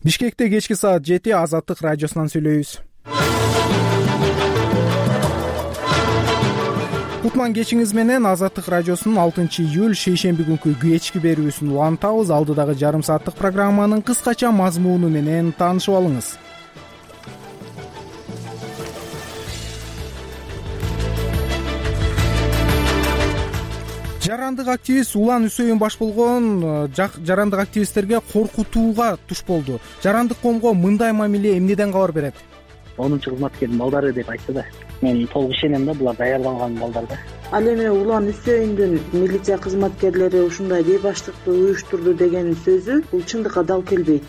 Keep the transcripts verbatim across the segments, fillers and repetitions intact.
Бишкекте кечки саат жети Азаттык радиосунан сүйлөйбүз. Кутман кечиңиз менен Азаттык радиосунун алтынчы июль шейшемби күнкү кечки берүүсүн улантабыз. Алдыдагы жарым сааттык программанын кыскача мазмуну менен таанышып алыңыз. Жарандык активист Улан Үсөйүн баш болгон жарандык активисттерге коркутууга туш болду. Жарандык коомго мындай мамиле эмнеден кабар берет? онунчу кызматкердин балдары деп айтты да. Мен толук ишенем да, булар даярдалган балдар да. Ал эми Улан Үсөйүндүн милиция кызматкерлери ушундай бейбаштыкты уюштурду деген сөзү бул чындыкка дал келбейт.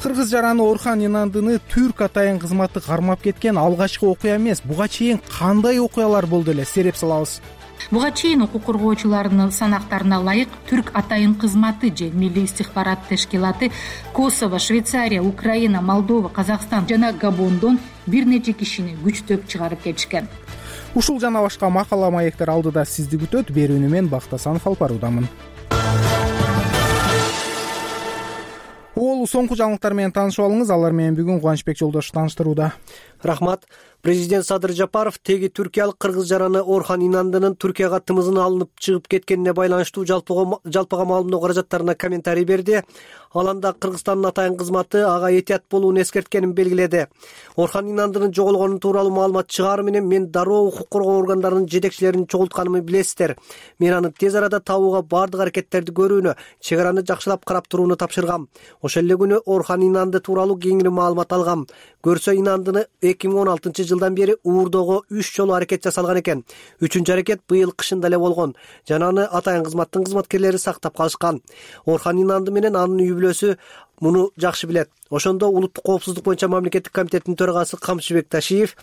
Кыргыз жараны Орхан Инандыны түрк атайын кызматы кармап кеткен алгачкы окуя эмес. Буга чейин кандай окуялар болду эле, сереп салабыз. Буга чейин укук коргоочулардын санактарына ылайык түрк атайын кызматы же милли истихбарат тешкилаты Косово, Швейцария, Украина, Молдова, Казакстан жана Габондон бир нече кишини күчтөп чыгарып кетишкен. Ушул жана башка макала маектер алдыда сизди күтөт. Берүүнү мен Бактасанов алып баруудамын. Ол соңку жаңылыктар менен таанышып алыңыз. Алар менен бүгүн Кубанычбек Жолдошов тааныштырууда. Рахмат. Президент Садыр Жапаров теги түркиялык кыргыз жараны Орхан Инандынын Түркияга тымызын алынып чыгып кеткенине байланыштуу жалпыга маалымдоо каражаттарына комментарий берди. Ал анда Кыргызстандын атайын кызматы ага этият болууну эскерткенин белгиледи. Орхан Инандынын жоголгону тууралуу маалымат чыгаары менен мен дароо укук коргоо органдарынын жетекчилерин чогултканымды билесиздер. Мен аны тез арада табууга бардык аракеттерди көрүүнү, чек араны жакшылап карап турууну тапшыргам. Ошол эле күнү Орхан Инанды тууралуу кеңири маалымат алгам. Көрсө Инандыны эки миң он алтынчы жылдан бери уурдоого үч жолу аракет жасалган экен. Үчүнчү аракет быйыл кышында эле болгон. Жана аны атайын кызматтын кызматкерлери сактап калышкан. Орхан Инанды менен анын үй бүлөсү муну жакшы билет. Ошондо улуттук коопсуздук боюнча мамлекеттик комитеттин төрагасы Камчыбек Ташиев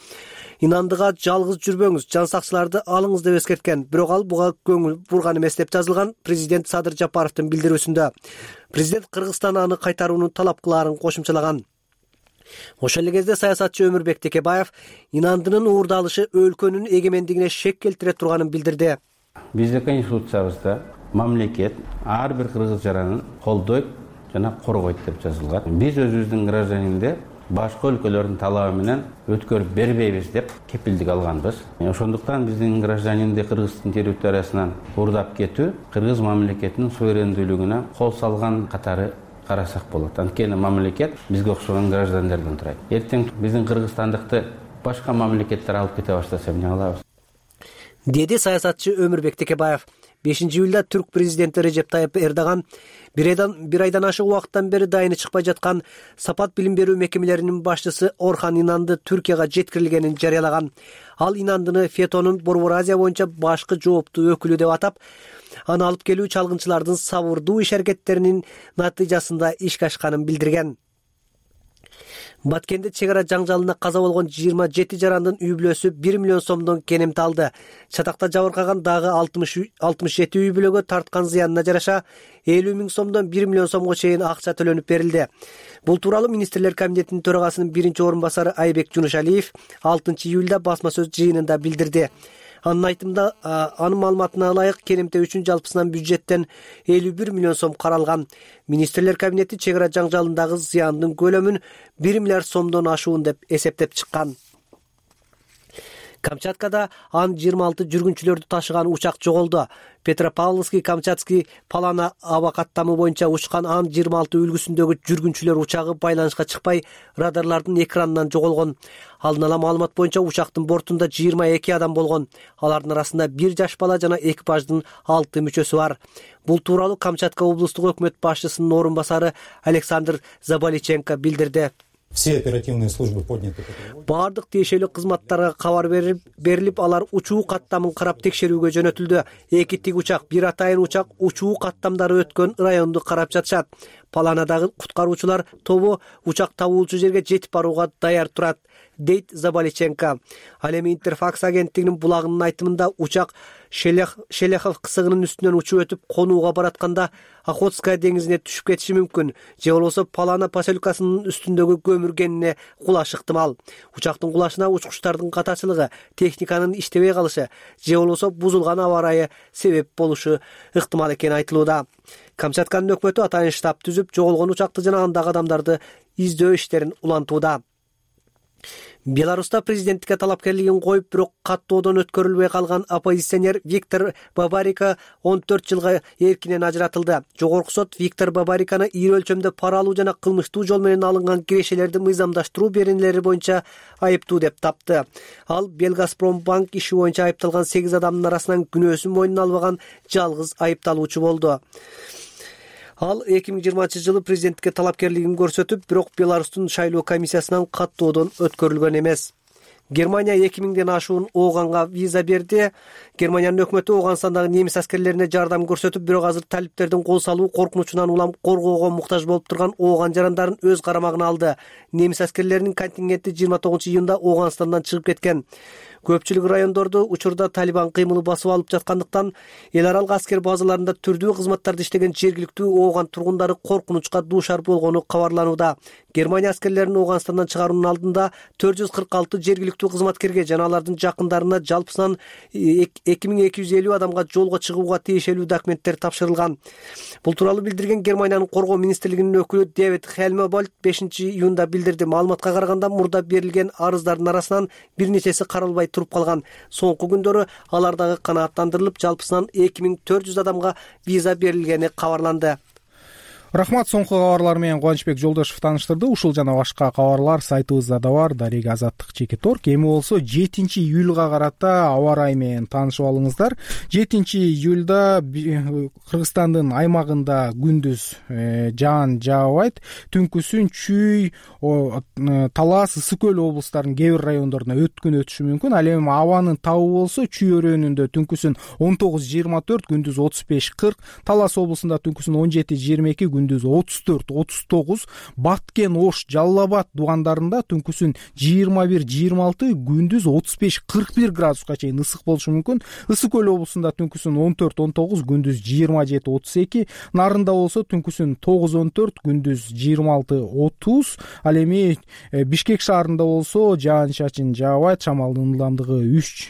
Инандыга жалгыз жүрбөңүз, жан сакчыларды алыңыз деп эскерткен. Бирок ал буга көңүл бурган эмес деп жазылган президент Садыр Жапаровдун билдирүүсүндө. Президент Кыргызстан аны кайтарууну талап кылаарын кошумчалаган. Ошол эле кезде саясатчы Өмүрбек Текебаев Инандынын уурдалышы өлкөнүн эгемендигине шек келтире турганын билдирди. Биздин конституциябызда мамлекет ар бир кыргыз жаранын колдойт жана коргойт деп жазылган. Биз өзүбүздүн гражданинде башка өлкөлөрдүн талабы менен өткөрүп бербейбиз деп кепилдик алганбыз. Ошондуктан биздин гражданинди Кыргыздын территориясынан уурдап кетүү кыргыз мамлекетинин суверендүүлүгүнө кол салган катары карасак болот. Анткени мамлекет бизге окшогон граждандардын турат. Эртең биздин кыргызстандыкты башка мамлекеттер алып кете баштаса эмне кылабыз? Деди саясатчы Өмүрбек Текебаев. бешинчи июлда түрк президенти Режеп Тайып Эрдоган бир айдан бир айдан ашык убакыттан бери дайыны чыкпай жаткан Сапат билим берүү мекемелеринин башчысы Орхан Инанды Түркияга жеткирилгенин жарыялаган. Ал Инандыны Фетонун Борбор Азия боюнча башкы жооптуу өкүлү деп атап, аны алып келүү чалгынчылардын сабырдуу иш аракеттеринин натыйжасында ишке ашканын билдирген. Баткенде чек ара жаңжалына каза болгон жыйырма жети жарандын үй бүлөсү бир миллион сомдон кенемти алды. Чатакта жабыркаган дагы алтымыш жети үй бүлөгө тарткан зыянына жараша элүү миң сомдон бир миллион сомго чейин акча төлөнүп берилди. Бул тууралуу министрлер комитетинин төрагасынын биринчи орун басары Айбек Жунушалиев алтынчы июлда басма сөз жыйынында билдирди. Анын айтымында, анын маалыматына ылайык кенемте үчүн жалпысынан бюджеттен элүү бир миллион сом каралган. Министрлер кабинети чек ара жаңжалындагы зыяндын көлөмүн бир миллиард сомдон ашуун деп эсептеп чыккан. Камчаткада ан жыйырма алты жүргүнчүлөрдү ташыган учак жоголду. Петропавловский, Камчатский, Палана аба каттамы боюнча учкан ан жыйырма алты үлгүсүндөгү жүргүнчүлөр учагы байланышка чыкпай, радарлардын экранынан жоголгон. Алдын ала маалымат боюнча учактын бортунда жыйырма эки адам болгон. Алардын арасында бир жаш бала жана экипаждын алты мүчөсү бар. Бул тууралуу Камчатка облустук өкмөт башчысынын орун басары Александр Заболиченко билдирди. Все оперативные службы подняты. Бардык тиешелүү кызматтарга кабар берилип, алар учуу каттамын карап текшерүүгө жөнөтүлдү. Эки тик учак, бир атайын учак учуу каттамдары өткөн районду карап жатышат. Паланадагы куткаруучулар тобу учак табуулчу жерге жетип барууга даяр турат, дейт Заболиченко. Ал эми Интерфакс агенттигинин булагынын айтымында учак Шелехов кысыгынын үстүнөн учуп өтүп конууга баратканда Охотская деңизине түшүп кетиши мүмкүн. Же болбосо Палана поселкасынын үстүндөгү көмүргенине кулаш ыктымал. Учактын кулашына учкучтардын катачылыгы, техниканын иштебей калышы, же болбосо бузулган аба ырайы себеп болушу ыктымал экени айтылууда. Камчатканын өкмөтү атайын штаб түзүп, жоголгон учакты жана андагы адамдарды издөө иштерин улантууда. Беларуста президенттикке талапкерлигин коюп, бирок каттоодон өткөрүлбөй калган оппозиционер Виктор Бабарико он төрт жылга эркинен ажыратылды. Жогорку сот Виктор Бабариканы ийри өлчөмдө пара алуу жана кылмыштуу жол менен алынган кирешелерди мыйзамдаштыруу беренелери боюнча айыптуу деп тапты. Ал Белгазпромбанк иши боюнча айыпталган сегиз адамдын арасынан күнөөсүн мойнуна албаган жалгыз айыпталуучу болду. Ал эки миң жыйырманчы жылы президенттикке талапкерлигин көрсөтүп, бирок Беларустун шайлоо комиссиясынан каттоодон өткөрүлгөн эмес. Германия эки миңден ашуун ооганга виза берди. Германиянын өкмөтү Ооганстандагы немис аскерлерине жардам көрсөтүп, бирок азыр талиптердин кол салуу коркунучунан улам коргоого муктаж болуп турган ооган жарандарын өз карамагына алды. Немис аскерлеринин контингенти жыйырма тогузунчу июнда Ооганстандан чыгып кеткен. Көпчүлүк райондорду учурда Талибан кыймылы басып алып жаткандыктан эл аралык аскер базаларында түрдүү кызматтарды иштеген жергиликтүү ооган тургундары коркунучка дуушар болгону кабарланууда. Германия аскерлерин Ооганстандан чыгаруунун алдында төрт жүз кырк алты жергиликтүү кызматкерге жана алардын жакындарына жалпысынан эки миң эки жүз элүү адамга жолго чыгууга тиешелүү документтер тапшырылган. Бул тууралуу билдирген Германиянын коргоо министрлигинин өкүлү Дэвид Хельмебольд бешинчи июнда билдирди. Маалыматка караганда, мурда берилген арыздардын арасынан бир нечеси каралбай туруп калган. Соңку күндөрү алар дагы канааттандырылып, жалпысынан эки миң төрт жүз адамга виза берилгени кабарланды. Рахмат, соңку кабарлар менен Кубанычбек Жолдошев тааныштырды. Ушул жана башка кабарлар сайтыбызда да бар. Дарек Азаттык чекит орг. Эми болсо жетинчи июлга карата аба ырайы менен таанышып алыңыздар. жетинчи июлда Кыргызстандын аймагында күндүз жаан жаабайт. Түнкүсүн Чүй, Талас, Ысык көл облустарынын кээ бир райондоруна өткүн өтүшү мүмкүн. Ал эми абанын табы болсо Чүй өрөөнүндө түнкүсүн он тогуз жыйырма төрт, күндүз отуз беш кырк, Талас облусунда түнкүсүн он жети жыйырма эки, күндүз отуз төрт отуз тогуз, Баткен, Ош, Жалал Абад дугандарында түнкүсүн жыйырма бир жыйырма алты, күндүз отуз беш кырк бир градуска чейин ысык болушу мүмкүн. Ысык көл облусунда түнкүсүн он төрт он тогуз, күндүз жыйырма жети отуз эки, Нарында болсо түнкүсүн тогуз он төрт, күндүз жыйырма алты отуз. Ал эми Бишкек шаарында болсо жаан чачын жаабайт, шамалдын ылдамдыгы үч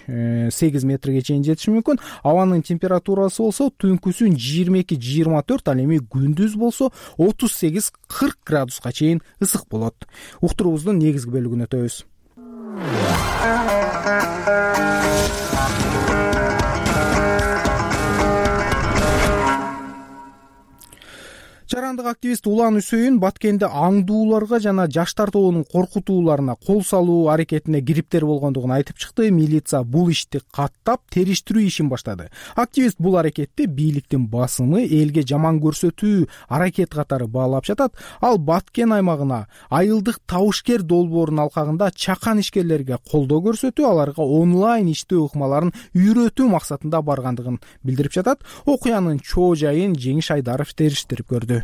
сегиз метрге чейин жетиши мүмкүн. Абанын температурасы болсо түнкүсүн жыйырма эки жыйырма төрт, ал эми күндүз болсо отуз сегиз кырк градуска чейин ысык болот. Уктуруубуздун негизги бөлүгүнө өтөбүз. Жарандык активист Улан Үсөйүн Баткенде аңдууларга жана жаштар тобунун коркутууларына кол салуу аракетине кириптер болгондугун айтып чыкты. Милиция бул ишти каттап, териштирүү ишин баштады. Активист бул аракетти бийликтин басымы, элге жаман көрсөтүү аракет катары баалап жатат. Ал Баткен аймагына айылдык табышкер долбоорунун алкагында чакан ишкерлерге колдоо көрсөтүү, аларга онлайн иштөө ыкмаларын үйрөтүү максатында баргандыгын билдирип жатат. Окуянын чоо жайын Жеңиш Айдаров териштирип көрдү.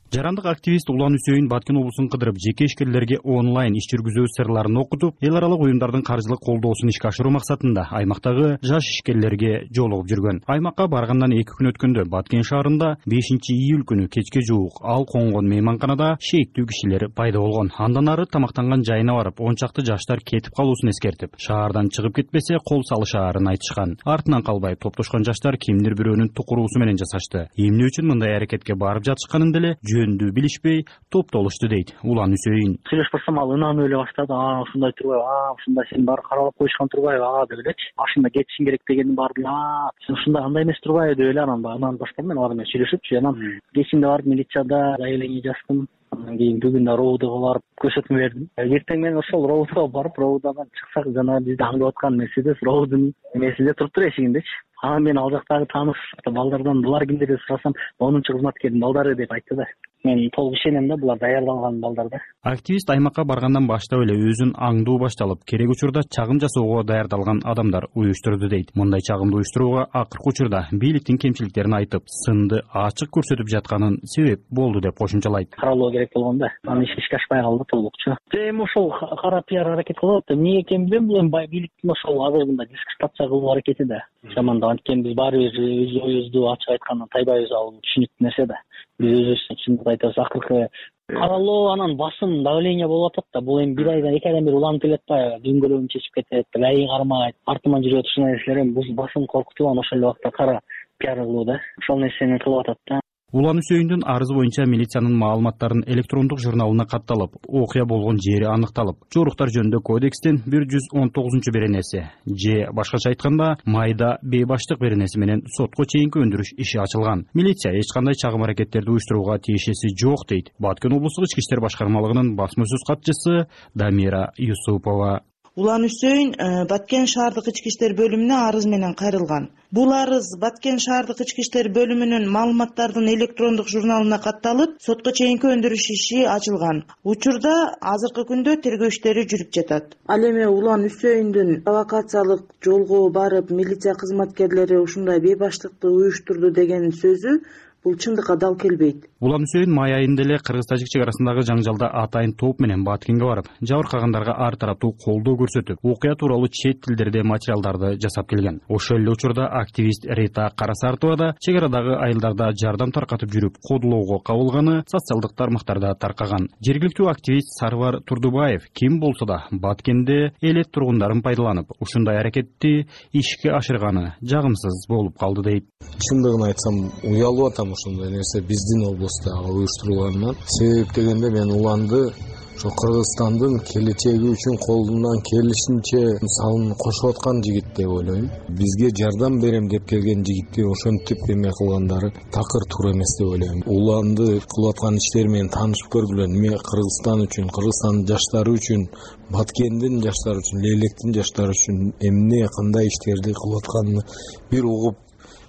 Жарандык активист Улан Үсөйүн Баткен облусун кыдырып, жеке ишкерлерге онлайн иш жүргүзүү сырларын окутуп, эл аралык уюмдардын каржылык колдоосун ишке ашыруу максатында аймактагы жаш ишкерлерге жолугуп жүргөн. Аймакка баргандан эки күн өткөндө Баткен шаарында бешинчи июль күнү кечке жуук ал конгон мейманканада шейиттүү кишилер пайда болгон. Андан ары тамактанган жайына барып, он чакты жаштар кетип калуусун эскертип, шаардан чыгып кетпесе кол салышаарын айтышкан. Артынан калбай топтошкон жаштар кимдир бирөөнүн тукуруусу менен жасашты. Эмне үчүн мындай аракетке барып жатышканын деле жөндүү билишпей топтолушту дейт Улан Үсөйүн. Сүйлөшүп барсам, ал ынанып эле баштады. А, ушундай турбайбы? А, ушундай сени баары каралап коюшкан турбайбы? А, деп элечи. Машина кетишиң керек дегенин баары биле. А, сен ушундай андай эмес турбайбы деп эле анан баягы ынанып баштадым мен алар менен сүйлөшүпчү. Анан кечинде барып милицияда заявление жаздым. Андан кийин бүгүн да роудага барып көрсөтмө бердим. Эртең менен ошол роудага барып, роудадан чыксак, жана бизди аңдып аткан Мерседес роудун эмесинде туруп тур, эшигиндечи. Анан мен ал жактагы тааныш балдардан булар кимдер деп сурасам, онунчу кызматкердин балдары деп айтты да. Мен толук ишенем да, булар даярдалган балдар да. Активист аймакка баргандан баштап эле өзүн аңдуу башталып, керек учурда чагым жасоого даярдалган адамдар уюштурду дейт. Мындай чагымды уюштурууга акыркы учурда бийликтин кемчиликтерин айтып, сынды ачык көрсөтүп жатканын себеп болду деп кошумчалайт. Каралуу керек болгон да. Анан ишке ашпай калды толукчу. Эми ошол кара пиар аракет кылып атты. Эмне экенин билбейм, бул эми бийликтин ошол азыр мындай дискредитация кылуу аракети да. Жаман да, анткени биз баары бир өз оюбузду ачык айткандан тайбайбыз, ал түшүнүктүү нерсе да. Биз өзүбүз чындыкты айтабыз. Акыркы каралоо, анан басым, давление болуп атат да. Бул эми бир айдан эки айдан бери уланып келет атпайбы? Дөңгөлөгүн чечип кетет, ай кармайт, артыман жүрөт, ушундай нерселер эми бул басым коркутуудан ошол эле убакта кара пиар кылуу да. Ошол нерсени кылып атат да. Улан Үсөйүндүн арызы боюнча милициянын маалыматтарын электрондук журналына катталып, окуя болгон жери аныкталып, жоруктар жөнүндө кодекстин бир жүз он тогузунчу беренеси же башкача айтканда майда бейбаштык беренеси менен сотко чейинки өндүрүш иши ачылган. Милиция эч кандай чагым аракеттерди уюштурууга тиешеси жок дейт Баткен облустук ички иштер башкармалыгынын басма сөз катчысы Дамира Юсупова. Улан Үсөйүн Баткен шаардык ички иштер бөлүмүнө арыз менен кайрылган. Бул арыз Баткен шаардык ички иштер бөлүмүнүн маалыматтардын электрондук журналына катталып, сотко чейинки өндүрүш иши ачылган. Учурда азыркы күндө тергөө иштери жүрүп жатат. Ал эми Улан Үсөйүндүн провокациялык жолго барып, милиция кызматкерлери ушундай бейбаштыкты уюштурду деген сөзү бул чындыкка дал келбейт. Улан Үсөйүн май айында эле кыргыз-тажик чек арасындагы жаңжалда атайын топ менен Баткенге барып, жабыркагандарга ар тараптуу колдоо көрсөтүп, окуя тууралуу чет тилдерде материалдарды жасап келген. Ошол эле учурда активист Рита Карасартова да чек арадагы айылдарда жардам таркатып жүрүп, кодулоого кабылганы социалдык тармактарда таркаган. Жергиликтүү активист Сарвар Турдубаев ким болсо да Баткенде элет тургундарын пайдаланып, ушундай аракетти ишке ашырганы жагымсыз болуп калды дейт. Чындыгын айтсам, уялып атам ушундай нерсе биздин облустта уюштурулганынан. Себеп дегенде мен Уланды ошо Кыргызстандын келечеги үчүн колунан келишинче салын кошуп аткан жигит деп ойлойм. Бизге жардам берем деп келген жигитти ошентип эме кылгандары такыр туура эмес деп ойлойм. Уланды кылып аткан иштери менен таанышып көргүлө. Эме Кыргызстан үчүн, Кыргызстандын жаштары үчүн, Баткендин жаштары үчүн, Лейлектин жаштары үчүн эмне кандай иштерди кылып атканын бир угуп,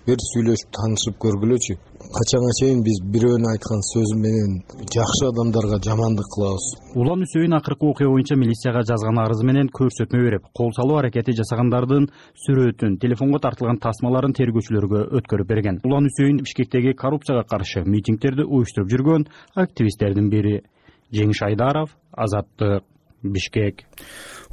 бир сүйлөшүп таанышып көргүлөчү. Качанга чейин биз бирөөнүн айткан сөзү менен жакшы адамдарга жамандык кылабыз. Улан Үсөйүн акыркы окуя боюнча милицияга жазган арызы менен көрсөтмө берип, кол салуу аракети жасагандардын сүрөтүн, телефонго тартылган тасмаларын тергөөчүлөргө өткөрүп берген. Улан Үсөйүн Бишкектеги коррупцияга каршы митингдерди уюштуруп жүргөн активисттердин бири. Жеңиш Айдаров, Азаттык, Бишкек.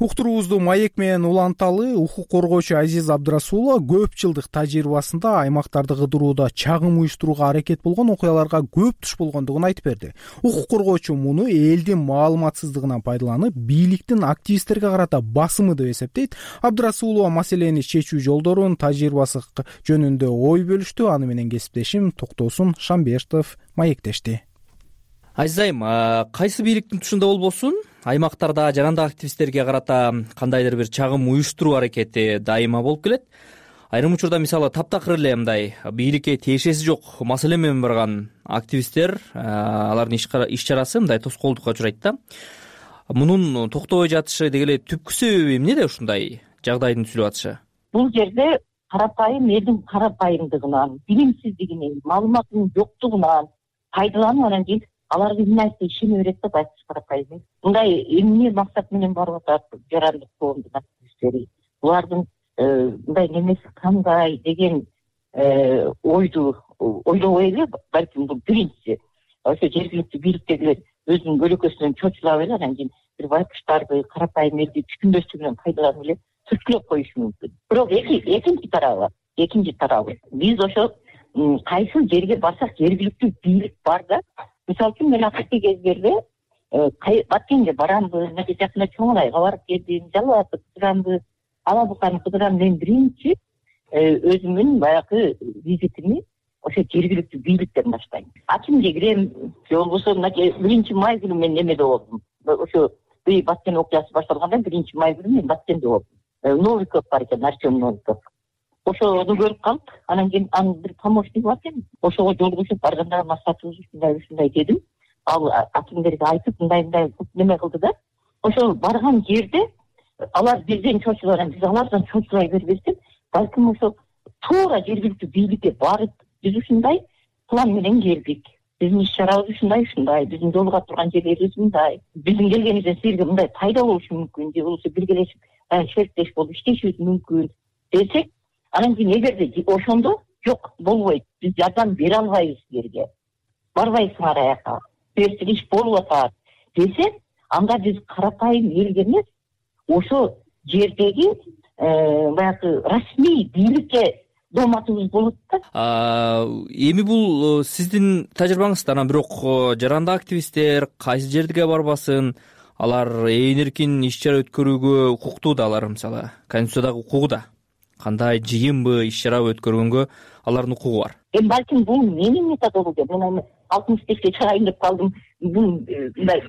Уктуруубузду маек менен уланталы. Укук коргоочу Азиз Абдрасулова көп жылдык тажрыйбасында аймактарды кыдырууда чагым уюштурууга аракет болгон окуяларга көп туш болгондугун айтып берди. Укук коргоочу муну элдин маалыматсыздыгынан пайдаланып, бийликтин активисттерге карата басымы деп эсептейт. Абдрасулова маселени чечүү жолдорун, тажрыйбасы жөнүндө ой бөлүштү. Аны менен кесиптешим Токтосун Шамбештов маектешти. Азиз айым, кайсы бийликтин тушунда болбосун, аймактарда жарандык активисттерге карата кандайдыр бир чагым уюштуруу аракети дайыма болуп келет. Айрым учурда мисалы таптакыр эле мындай бийликке тиешеси жок маселе менен барган активисттер, алардын иш чарасы мындай тоскоолдукка учурайт да. Мунун токтобой жатышы деги эле түпкү себеби эмнеде ушундай жагдайдын түзүлүп атышы? Бул жерде карапайым элдин карапайымдыгынан, билимсиздигинен, маалыматтын жоктугунан пайдаланып анан кийин алар эмне айтса ишене берет да байкуш карапайым. Мындай эмне максат менен барып атат жарандык коомдун активисттери? Булардын мындай немеси кандай деген ойду ойлобой эле, балким бул биринчиси. Ошо жергиликтүү бийликтегилер өзүнүн көлөкөсүнөн чочулап эле анан кийин бир байкуштарды, карапайым элди түшкүндөстүгүнөн пайдаланып эле түрткүлөп коюшу мүмкүн. Бирок экинчи тарабы, экинчи тарабы биз ошо кайсы жерге барсак жергиликтүү бийлик бар да. Мисалы үчүн мен акыркы кездерде Баткенге барамбы, мынакей жакында Чоң Айга барып келдим, Жалал Абадты кыдырамбы, Ала Буканы кыдырам. Мен биринчи өзүмдүн баягы визитимди ошо жергиликтүү бийликтен баштайм. Акимге кирем, же болбосо мынакей биринчи май күнү мен немеде болдум. Ошо Баткен окуясы башталганда биринчи май күнү мен Баткенде болдум. Новиков бар экен, Артем Новиков. Ошону көрүп калып, анан кийин анын бир помощниги бар экен. Ошого жолугушуп барганда максатыбыз ушундай ушундай дедим. Ал акимдерге айтып, мындай мындай неме кылды да. Ошо барган жерде алар бизден чочулган, биз алардан чочулай бербестен, балким ошо туура жергиликтүү бийликке барып, биз ушундай план менен келдик. Биздин иш чарабыз ушундай ушундай, биздин жолуга турган жерлерибиз мындай. Биздин келгенибизден силерге мындай пайда болушу мүмкүн, же болбосо биргелешип, шериктеш болуп иштешибиз мүмкүн десек, анан кийин эгерде ошондо жок болбойт, биз жардам бере албайбыз силерге, барбайсыңар аяка, силерсиз иш болуп атат десе, анда биз карапайым элге эмес, ошо жердеги баягы расмий бийликке дооматыбыз болот да. Эми бул сиздин тажрыйбаңызда, анан бирок жарандык активисттер кайсы жерге барбасын, алар ээн эркин иш чара өткөрүүгө укуктуу да, алар мисалы конституциядагы укугу да. кандай жыйынбы, иш чарабы өткөргөнгө алардын укугу бар? Эми балким бул менин методологиям. Мен алтымыш бешке чыгайын деп калдым. Бул мындай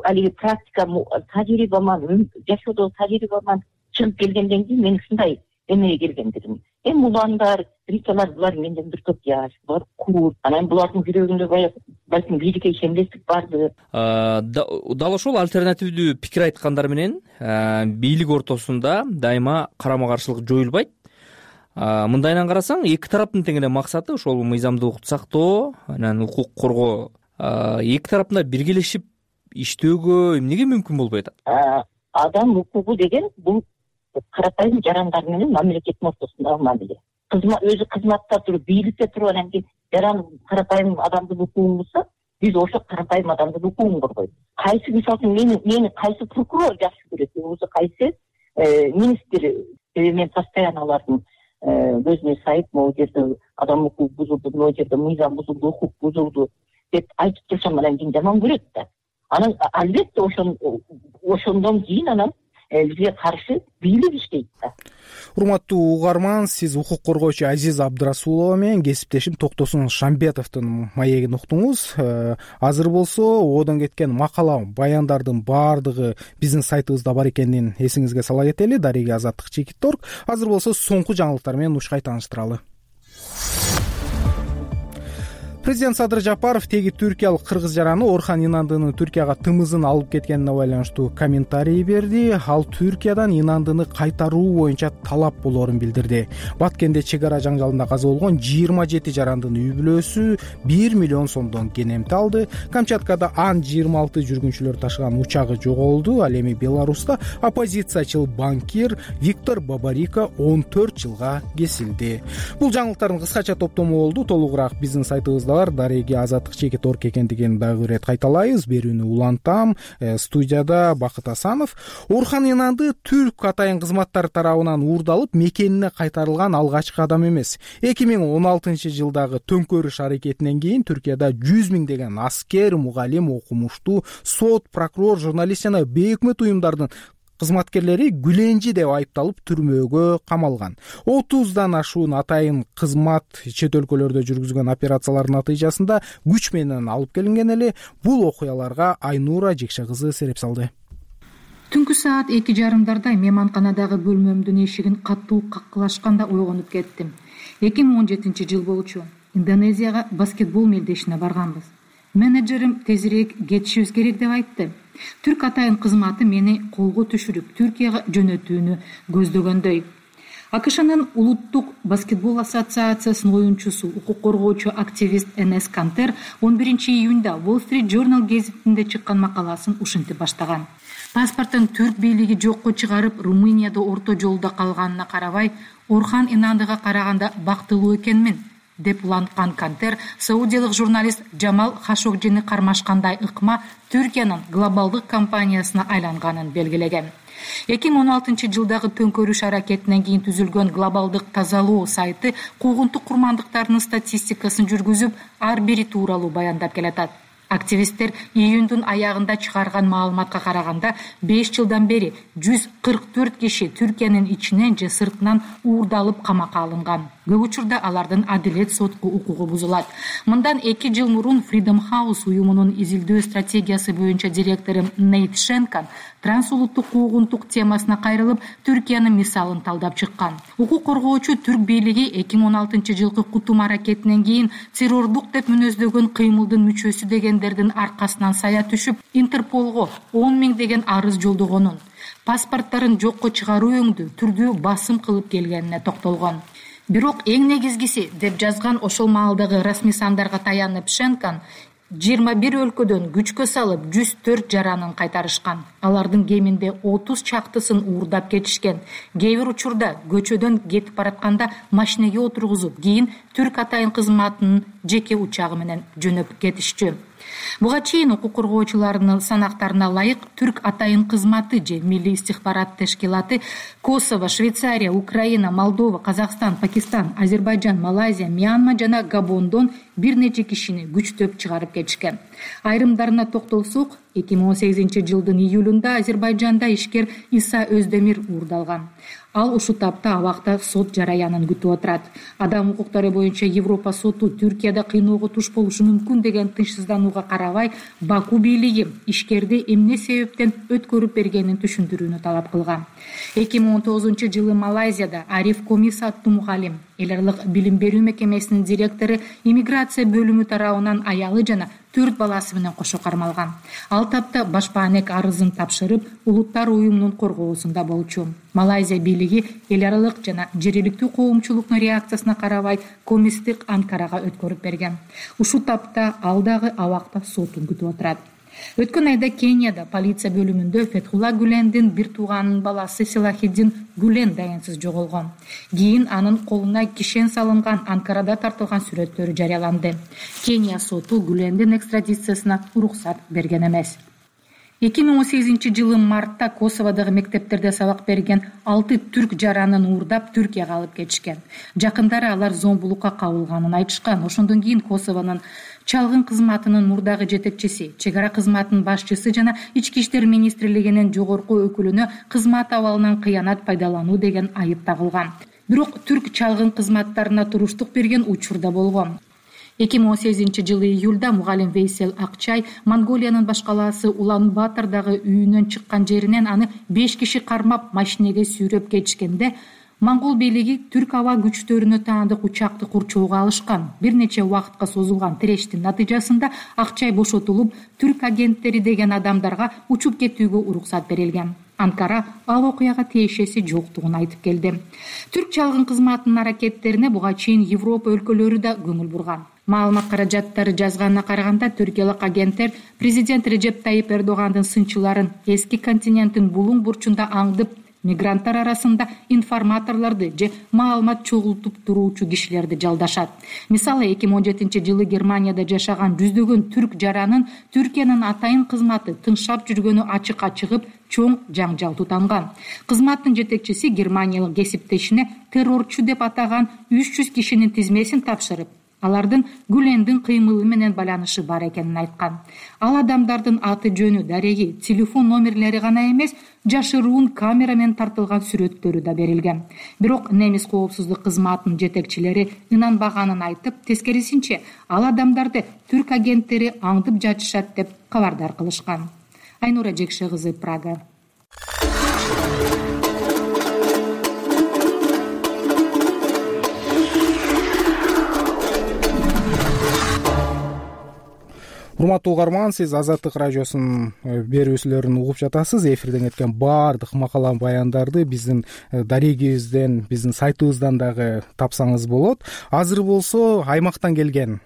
алиги практика, тажрыйбаман, жашоодогу тажрыйбаман чыгып келгенден кийин мен ушундай эмеге келгендигим. Эми уландар, рисалар булар менден бир топ жаш, булар курт. Анан булардын жүрөгүндө баягы балким бийликке ишенбестик барды. Дал ошол альтернативдүү пикир айткандар менен бийлик ортосунда дайыма карама каршылык жоюлбайт. Мындайынан карасаң, эки тараптын тең эле максаты ошол мыйзамдуулукту сактоо, анан укук коргоо. Эки тараптын да биргелешип иштөөгө эмнеге мүмкүн болбой атат? Адам укугу деген бул карапайым жарандар менен мамлекеттин ортосундагы мамиле. Өзү кызматта туруп, бийликте туруп, анан кийин жаран карапайым адамдын укугун булса, биз ошол карапайым адамдын укугун коргойбуз. Кайсы мисалы үчүн мени мени кайсы прокурор жакшы көрөт, болбосо кайсы министр, мен постоянно алардын көзүнө сайып, могу жерде адам укугу бузулду, могу жерде мыйзам бузулду, укук бузулду деп айтып турсам, анан кийин жаман көрөт да. Анан албетте ошон ошондон кийин анан бизге каршы бийлик иштейт да. Урматтуу угарман, сиз укук коргоочу Азиз Абдрасулова менен кесиптешим Токтосун Шамбетовдун маегин уктуңуз. Азыр болсо одон кеткен макала, баяндардын баардыгы биздин сайтыбызда бар экенин эсиңизге сала кетели. Дарига Азаттык Чекит орг. Азыр болсо соңку жаңылыктар менен ушкай тааныштыралы. Президент Садыр Жапаров теги түркиялык кыргыз жараны Орхан Инандынын Түркияга тымызын алып кеткенине байланыштуу комментарий берди. Ал Түркиядан Инандыны кайтаруу боюнча талап болоорун билдирди. Баткенде чек ара жаңжалында каза болгон жыйырма жети жарандын үй бүлөсү бир миллион сомдон кенемти алды. Камчаткада Ан жыйырма алты жүргүнчүлөр ташыган учагы жоголду. Ал эми Беларуста оппозициячыл банкир Виктор Бабарико он төрт жылга кесилди. Бул жаңылыктардын кыскача топтому болду. Толугураак биздин сайтыбызда Дарига Азаттык Чекит орг экендигин дагы ирет кайталайбыз. Берүүнү улантам. Э, студияда Бакыт Асанов. Орхан Инанды түрк атайын кызматтары тарабынан уурдалып, мекенине кайтарылган алгачкы адам эмес. эки миң он алтынчы жылдагы төңкөрүш аракетинен кийин Түркияда жүз миңдеген аскер, мугалим, окумуштуу, сот, прокурор, журналист жана бейөкмөт уюмдардын кызматкерлери Гүленжи деп айыпталып түрмөөгө камалган. отуздан ашуун атайын кызмат чет өлкөлөрдө жүргүзгөн операциялардын натыйжасында күч менен алып келинген эле. Бул окуяларга Айнура Жекше кызы сереп салды. Түнкү саат эки жарымдарда мейманканадагы бөлмөмдүн эшигин катуу каккылашканда ойгонуп кеттим. эки миң он жетинчи жыл болчу. Индонезияга баскетбол мелдешине барганбыз. Менеджерим тезирээк кетишибиз керек деп айтты. Түрк атайын кызматы мени колго түшүрүп Түркияга жөнөтүүнү көздөгөндөй. АКШнын улуттук баскетбол ассоциациясынын оюнчусу, укук коргоочу активист Энес Кантер он биринчи июнда Wall Street Journal гезитинде чыккан макаласын ушинтип баштаган. Паспортун түрк бийлиги жокко чыгарып, Румынияда орто жолдо калганына карабай, Орхан Инандыга караганда бактылуу экенмин деп уланткан Кантер саудиялык журналист Джамал Хашогжини кармашкандай ыкма Түркиянын глобалдык компаниясына айланганын белгилеген. эки миң он алтынчы жылдагы төңкөрүш аракетинен кийин түзүлгөн глобалдык тазалоо сайты куугунтук курмандыктарынын статистикасын жүргүзүп, ар бири тууралуу баяндап келатат. Активисттер июндун аягында чыгарган маалыматка караганда беш жылдан бери жүз кырк төрт киши Түркиянын ичинен же сыртынан уурдалып камакка алынган. Көп учурда алардын адилет сотку укугу бузулат. Мындан эки жыл мурун Freedom House уюмунун изилдөө стратегиясы боюнча директору Нейт Шенкан трансулуттук куугунтук темасына кайрылып, Түркиянын мисалын талдап чыккан. Укук коргоочу түрк бийлиги эки миң он алтынчы жылкы кутум аракетинен кийин террордук деп мүнөздөгөн кыймылдын мүчөсү дегендердин аркасынан сая түшүп, Интерполго он миң деген арыз жолдогонун, паспорттарын жокко чыгаруу өңдүү түрдүү басым кылып келгенине токтолгон. Бирок эң негизгиси деп жазган ошол маалдагы расмий сандарга таянып Шенкан жыйырма бир өлкөдөн күчкө салып жүз төрт жаранын кайтарышкан. Алардын кеминде отуз чактысын уурдап кетишкен. Кээ бир учурда көчөдөн кетип баратканда машинеге отургузуп, кийин түрк атайын кызматынын жеке учагы менен жөнөп кетишчү. Буга чейин укук коргоочуларынын санактарына ылайык түрк атайын кызматы же Милли истихбарат тешкилаты Косово, Швейцария, Украина, Молдова, Казакстан, Пакистан, Азербайджан, Малайзия, Мьянма жана Габондон бир нече кишини күчтөп чыгарып кетишкен. Айрымдарына токтолсок, эки миң он сегизинчи жылдын июлунда Азербайжанда ишкер Иса Өздемир уурдалган. Ал ушул тапта абакта сот жараянын күтүп отурат. Адам укуктары боюнча Европа соту Түркияда кыйноого туш болушу мүмкүн деген тынчсызданууга карабай, Баку бийлиги ишкерди эмне себептен өткөрүп бергенин түшүндүрүүнү талап кылган. эки миң он тогузунчу жылы Малайзияда Ариф Комис аттуу мугалим, эл аралык билим берүү мекемесинин директору иммиграция бөлүмү тарабынан аялы жана төрт баласы менен кошо кармалган. Ал тапта башпаанек арызын тапшырып, Улуттар уюмунун коргоосунда болчу. Малайзия бийлиги эл аралык жана жергиликтүү коомчулуктун реакциясына карабай Комисти Анкарага өткөрүп берген. Ушул тапта ал дагы абакта сотун күтүп отурат. Өткөн айда Кенияда полиция бөлүмүндө Фетхулла Гүлендин бир тууганынын баласы Силахиддин Гүлен даянсыз жоголгон. Кийин анын колуна кишен салынган Анкарада тартылган сүрөттөрү жарыяланды. Кения соту Гүлендин экстрадициясына уруксат берген эмес. эки миң он сегизинчи жылы мартта Косоводогу мектептерде сабак берген алты түрк жаранын уурдап Түркияга алып кетишкен. Жакындары алар зомбулукка кабылганын айтышкан. Ошондон кийин Косовонун чалгын кызматынын мурдагы жетекчиси, чек ара кызматынын башчысы жана ички иштер министрлигинин жогорку өкүлүнө кызмат абалынан кыянат пайдалануу деген айып тагылган. Бирок түрк чалгын кызматтарына туруштук берген учур да болгон. эки миң он сегизинчи жылы июлда мугалим Вейсел Акчай Монголиянын баш калаасы Улан-Батордогу үйүнөн чыккан жеринен аны беш киши кармап машинеге сүйрөп кетишкенде Монгол бийлиги түрк аба күчтөрүнө таандык учакты курчоого алышкан. Бир нече убакытка созулган тирештин натыйжасында Акчай бошотулуп, түрк агенттери деген адамдарга учуп кетүүгө уруксат берилген. Анкара ал окуяга тиешеси жоктугун айтып келди. Түрк чалгын кызматынын аракеттерине буга чейин Европа өлкөлөрү да көңүл бурган. Маалымат каражаттары жазганына караганда, түркиялык агенттер президент Режеп Тайип Эрдогандын сынчыларын эски континенттин булуң бурчунда аңдып, мигранттар арасында информаторлорду же маалымат чогултуп туруучу кишилерди жалдашат. Мисалы, эки миң он жетинчи жылы Германияда жашаган жүздөгөн түрк жаранын Түркиянын атайын кызматы тыңшап жүргөнү ачыкка чыгып, чоң жаңжал тутанган. Кызматтын жетекчиси германиялык кесиптешине террорчу деп атаган үч жүз кишинин тизмесин тапшырып, алардын Гүлендин кыймылы менен байланышы бар экенин айткан. Ал адамдардын аты жөнү, дареги, телефон номерлери гана эмес, жашыруун камера менен тартылган сүрөттөрү да берилген. Бирок немис коопсуздук кызматынын жетекчилери ынанбаганын айтып, тескерисинче ал адамдарды түрк агенттери аңдып жатышат деп кабардар кылышкан. Айнура Жекше кызы, Прага. Урматтуу угарман, сиз Азаттык радиосунун берүүсүлөрүн угуп жатасыз. Эфирден кеткен баардык макала баяндарды биздин дарегибизден, биздин сайтыбыздан дагы тапсаңыз болот. Азыр болсо аймактан келген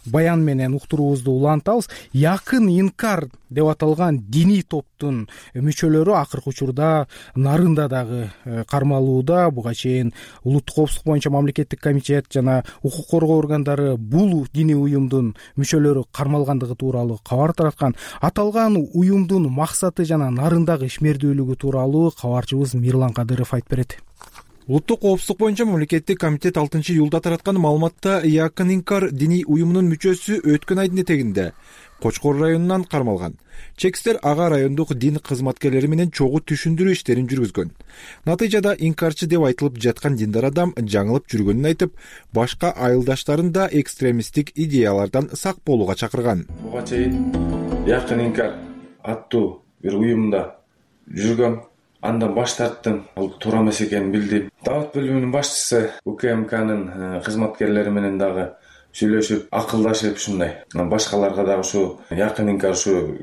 баян менен уктуруубузду улантабыз. Якын инкар деп аталган диний топтун мүчөлөрү акыркы учурда нарында дагы кармалууда. Буга чейин улуттук коопсуздук боюнча мамлекеттик комитет жана укук коргоо органдары бул диний уюмдун мүчөлөрү кармалгандыгы тууралуу кабар тараткан. Аталган уюмдун максаты жана нарындагы ишмердүүлүгү тууралуу кабарчыбыз Мирлан Кадыров айтып берет. Улуттук коопсуздук боюнча мамлекеттик комитет алтынчы июлда тараткан маалыматта Якын инкар диний уюмунун мүчөсү өткөн айдын этегинде Кочкор районунан кармалган. Чекистер ага райондук дин кызматкерлери менен чогуу түшүндүрүү иштерин жүргүзгөн. Натыйжада инкарчы деп айтылып жаткан диндар адам жаңылып жүргөнүн айтып, башка айылдаштарын да экстремисттик идеялардан сак болууга чакырган. Буга чейин Якын инкар аттуу бир уюмда жүргөм. Андан баш тарттым. Ал туура эмес экенин билдим. Дават бөлүмүнүн башчысы УКМКнын кызматкерлери менен дагы сүйлөшүп, акылдашып ушундай. Башкаларга дагы ушу Якын инкар ушу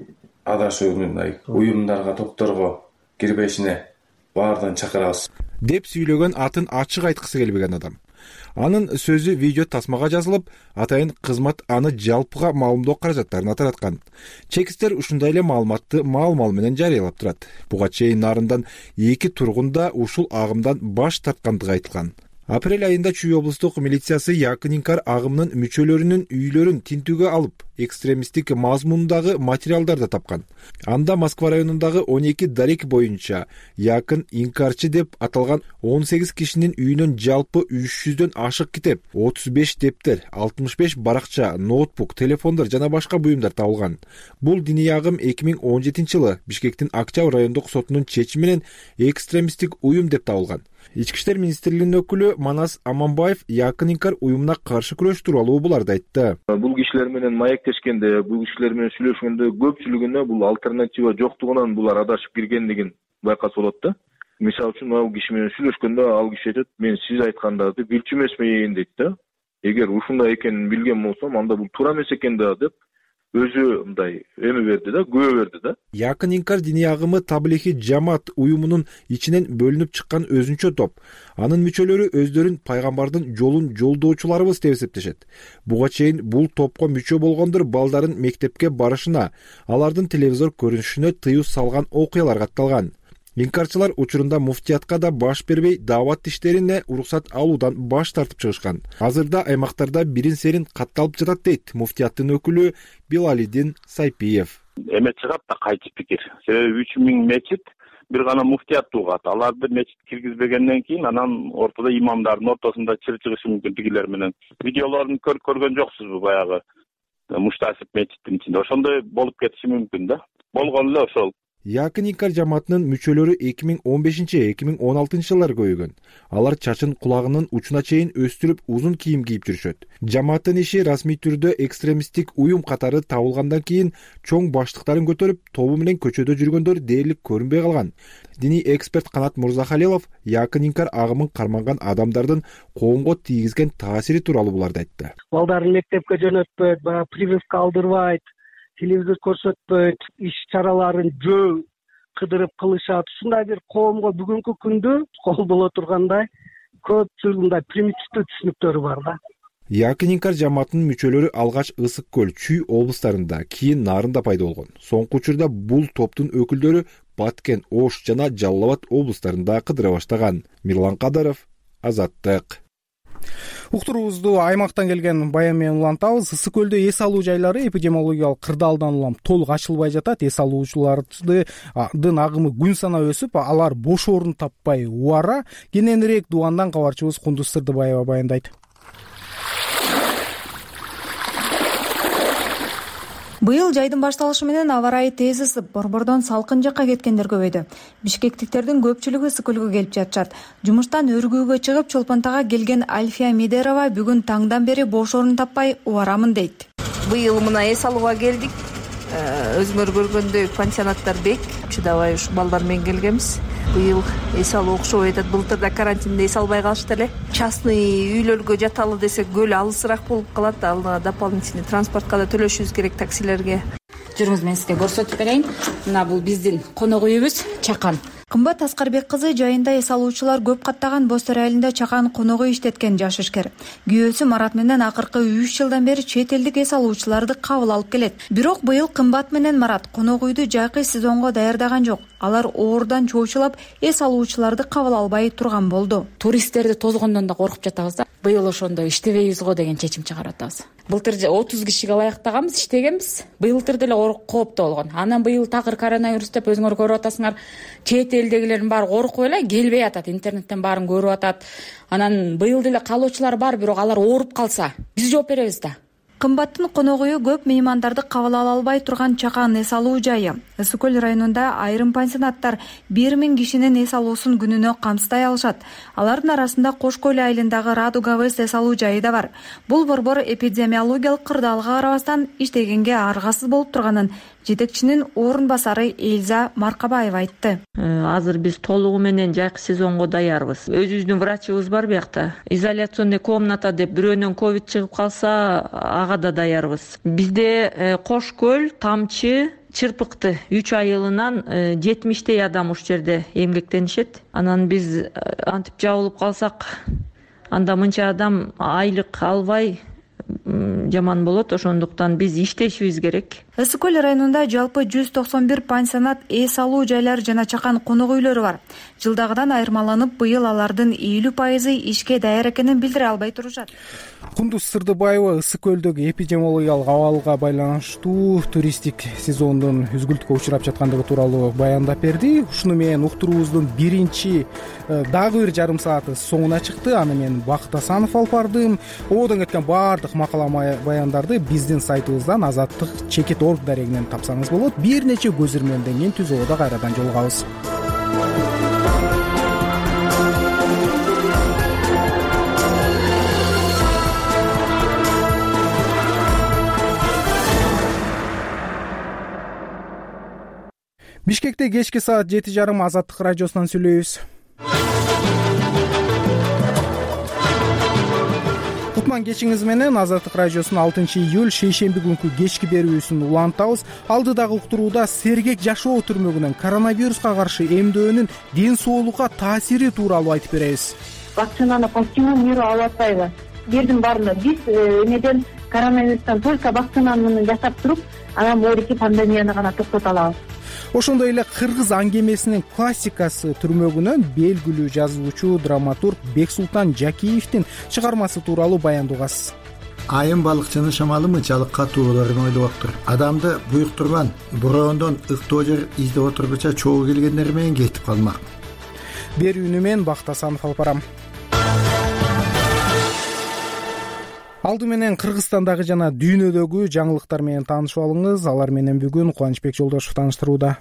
адашуу мындай уюмдарга, топторго кирбешине баардыгын чакырабыз деп сүйлөгөн атын ачык айткысы келбеген адам. Анын сөзү видео тасмага жазылып, атайын кызмат аны жалпыга маалымдоо каражаттарына тараткан. Чекистер ушундай эле маалыматты мал-мал менен жарыялап турат. Буга чейин нарындан эки тургун да ушул агымдан баш тарткандыгы айтылган. Апрель айында Чүй облустук милициясы Якын инкар агымынын мүчөлөрүнүн үйлөрүн тинтүүгө алып, экстремисттик мазмундагы материалдар да тапкан. Анда Москва районундагы он эки дарек боюнча якын инкарчы деп аталган он сегиз кишинин үйүнөн жалпы үч жүздөн ашык китеп, отуз беш дептер, алтымыш беш баракча, ноутбук, телефондор жана башка буюмдар табылган. Бул диний агым эки миң он жетинчи жылы Бишкектин Октябрь райондук сотунун чечими менен экстремисттик уюм деп табылган. Ички иштер министрлигинин өкүлү Манас Аманбаев якын инкар уюмуна каршы күрөш тууралуу буларды айтты. Бул кишилер менен маектешкенде, бул кишилер менен сүйлөшкөндө көпчүлүгүнө бул альтернатива жоктугунан булар адашып киргендигин байкаса болот да. Мисалы үчүн ал киши менен сүйлөшкөндө ал киши айтат: "Мен сиз айткандарды билчү эмесмин" дейт да. Эгер ушундай экенин билген болсом, анда бул туура эмес экен да деп өзү мындай эме берди да, күбө берди да. Якын инкар диний агымы Таблихи жамаат уюмунун ичинен бөлүнүп чыккан өзүнчө топ. Анын мүчөлөрү өздөрүн пайгамбардын жолун жолдоочуларыбыз деп эсептешет. Буга чейин бул топко мүчө болгондор балдарын мектепке барышына, алардын телевизор көрүнүшүнө тыюу салган окуялар катталган. Инкарчылар учурунда муфтиятка да баш бербей, даават иштерине уруксат алуудан баш тартып чыгышкан. Азырда аймактарда бирин серин катталып жатат дейт муфтияттын өкүлү Билалидин Сайпиев. Эме чыгат да кайчы пикир. Себеби үч миң мечит бир гана муфтият угат. Аларды мечит киргизбегенден кийин анан ортодо имамдардын ортосунда чыр чыгышы мүмкүн тигилер менен. Видеолорун көргөн жоксузбу баягы Муштасип мечиттин ичинде? Ошондой болуп кетиши мүмкүн да. Болгон эле ошол. Якын инкар жамаатынын мүчөлөрү эки миң он бешинчи - эки миң он алтынчы жылдар көйгөн. Алар чачын кулагынын учуна чейин өстүрүп, узун кийим кийип жүрүшөт. Жамааттын иши расмий түрдө экстремисттик уюм катары табылгандан кийин чоң баштыктарын көтөрүп, тобу менен көчөдө жүргөндөр дээрлик көрүнбөй калган. Диний эксперт Канат Мурзахалилов якын инкар агымын карманган адамдардын коомго тийгизген таасири тууралуу буларды айтты. Балдарын мектепке жөнөтпөйт, баягы прививка алдырбайт, телевизор көрсөтпөйт, иш чараларын жөө кыдырып кылышат. Ушундай бир коомго бүгүнкү күндө кол боло тургандай көпчүлүк мындай примитивдүү түшүнүктөрү бар да. Якын инкар жамаатынын мүчөлөрү алгач Ысык көл, Чүй облустарында, кийин Нарында пайда болгон. Соңку учурда бул топтун өкүлдөрү Баткен, Ош жана Жалал Абад облустарында кыдыра баштаган. Мирлан Кадаров, Азаттык. Уктуруубузду аймактан келген баян менен улантабыз. Ысык көлдө эс алуу жайлары эпидемиологиялык кырдаалдан улам толук ачылбай жатат. Эс алуучулардын агымы күн санап өсүп, алар бош орун таппай убара. Кененирээк Дубандан кабарчыбыз Кундуз Сырдыбаева баяндайт. Быйыл жайдын башталышы менен аба ырайы тез ысып, борбордон салкын жакка кеткендер көбөйдү. Бишкектиктердин көпчүлүгү Ысык көлгө келип жатышат. Жумуштан өргүүгө чыгып Чолпонтага келген Альфия Медерова бүгүн таңдан бери бош орун таппай убарамын дейт. Быйыл мына эс алууга келдик. Өзүңөр көргөндөй пансионаттар бек, чыдабай ушу балдар менен келгенбиз. Быйыл эс алуу окшобой атат. Былтырда карантинде эс албай калышты эле. Частный үйлөргө жаталы десек көл алысыраак болуп калат. Ал дополнительный транспортко да төлөшүбүз керек, таксилерге. Жүрүңүз, мен сизге көрсөтүп берейин. Мына бул биздин конок үйүбүз Чакан. Кымбат Аскарбек кызы жайында эс алуучулар көп каттаган Боз Төр айылында Чакан конок үй иштеткен жаш ишкер. Күйөөсү Марат менен акыркы үч жылдан бери чет элдик эс алуучуларды кабыл алып келет. Бирок быйыл Кымбат менен Марат конок үйдү жайкы сезонго даярдаган жок. Алар оорудан чоочулап эс алуучуларды кабыл албай турган болду. Туристтерди тозгондон да коркуп жатабыз да. Быйыл ошондо иштебейбиз го деген чечим чыгарып атабыз. Былтыр отуз кишиге ылайыктаганбыз, иштегенбиз. Быйылтыр деле кооптуу болгон. Анан быйыл такыр коронавирус деп өзүңөр көрүп атасыңар. Чет элдегилердин баары коркуп эле келбей атат, интернеттен баарын көрүп атат. Анан быйыл деле калуучулар бар, бирок алар ооруп калса, биз жооп беребиз да. Кымбаттын конок үйү көп меймандарды кабыл ала албай турган Чакан эс алуу жайы. Ысык көл районунда айрым пансионаттар бир миң кишинин эс алуусун күнүнө камсыздай алышат. Алардын арасында Кош көл айылындагы Радуга Вест эс алуу жайы да бар. Бул борбор эпидемиологиялык кырдаалга карабастан иштегенге аргасыз болуп турганын жетекчинин орун басары Эльза Маркабаева айтты. Азыр биз толугу менен жайкы сезонго даярбыз. Өзүбүздүн врачыбыз бар биякта. Изоляционный комната деп бирөөнөн ковид чыгып калса, ага да даярбыз. Бизде Кош көл, Тамчы, Чырпыкты үч айылынан жетимиштей адам ушул жерде эмгектенишет. Анан биз антип жабылып калсак, анда мынча адам айлык албай жаман болот. Ошондуктан биз иштешибиз керек. ысык көл районунда жалпы жүз токсон бир пансионат, эс алуу жайлары жана чакан конок үйлөрү бар. Жылдагыдан айырмаланып, быйыл алардын элүү пайызы ишке даяр экенин билдире албай турушат. Кундуз Сырдыбаева ысык көлдөгү эпидемиологиялык абалга байланыштуу туристтик сезондун үзгүлтүккө учурап жаткандыгы тууралуу баяндап берди. Ушуну менен уктуруубуздун биринчи дагы бир жарым сааты соңуна чыкты. Аны мен Бакыт Асанов алып бардым. Ободон кеткен баардык макала баяндарды биздин сайтыбыздан азаттык чекит точка орг дарегинен тапсаңыз болот. Бир нече көзүрмөндөн кийин түз ободо кайрадан жолугабыз. Бишкекте кечки саат жети жарым Азаттык радиосунан сүйлөйбүз. Кутман кечиңиз менен Азаттык радиосунун алтынчы июль шейшемби күнкү кечки берүүсүн улантабыз. Алдыдагы уктурууда сергек жашоо түрмөгүнөн коронавируска каршы эмдөөнүн ден соолукка таасири тууралуу айтып беребиз. Вакцинаны полностью миру алып атпайбы? Бирдин баарында биз эмеден коронавирустан только вакцинаны жасап туруп, анан моорики пандемияны гана токтото алабыз. Ошондой эле кыргыз аңгемесинин классикасы түрмөгүнөн белгилүү жазуучу, драматург Бексултан Жакиевдин чыгармасы тууралуу баяндагасыз. Айым балыкчынын шамалы мынчалык катууларын ойлоптур. Адамды буюктурган бороондон ыктоо жер издеп отургуча чогуу келгендер менен кетип калмак. Берүүнү мен Бакыт Асанов алып барам. Алды менен Кыргызстандагы жана дүйнөдөгү жаңылыктар менен таанышып алыңыз. Алар менен бүгүн Кубанычбек Жолдошев тааныштырууда.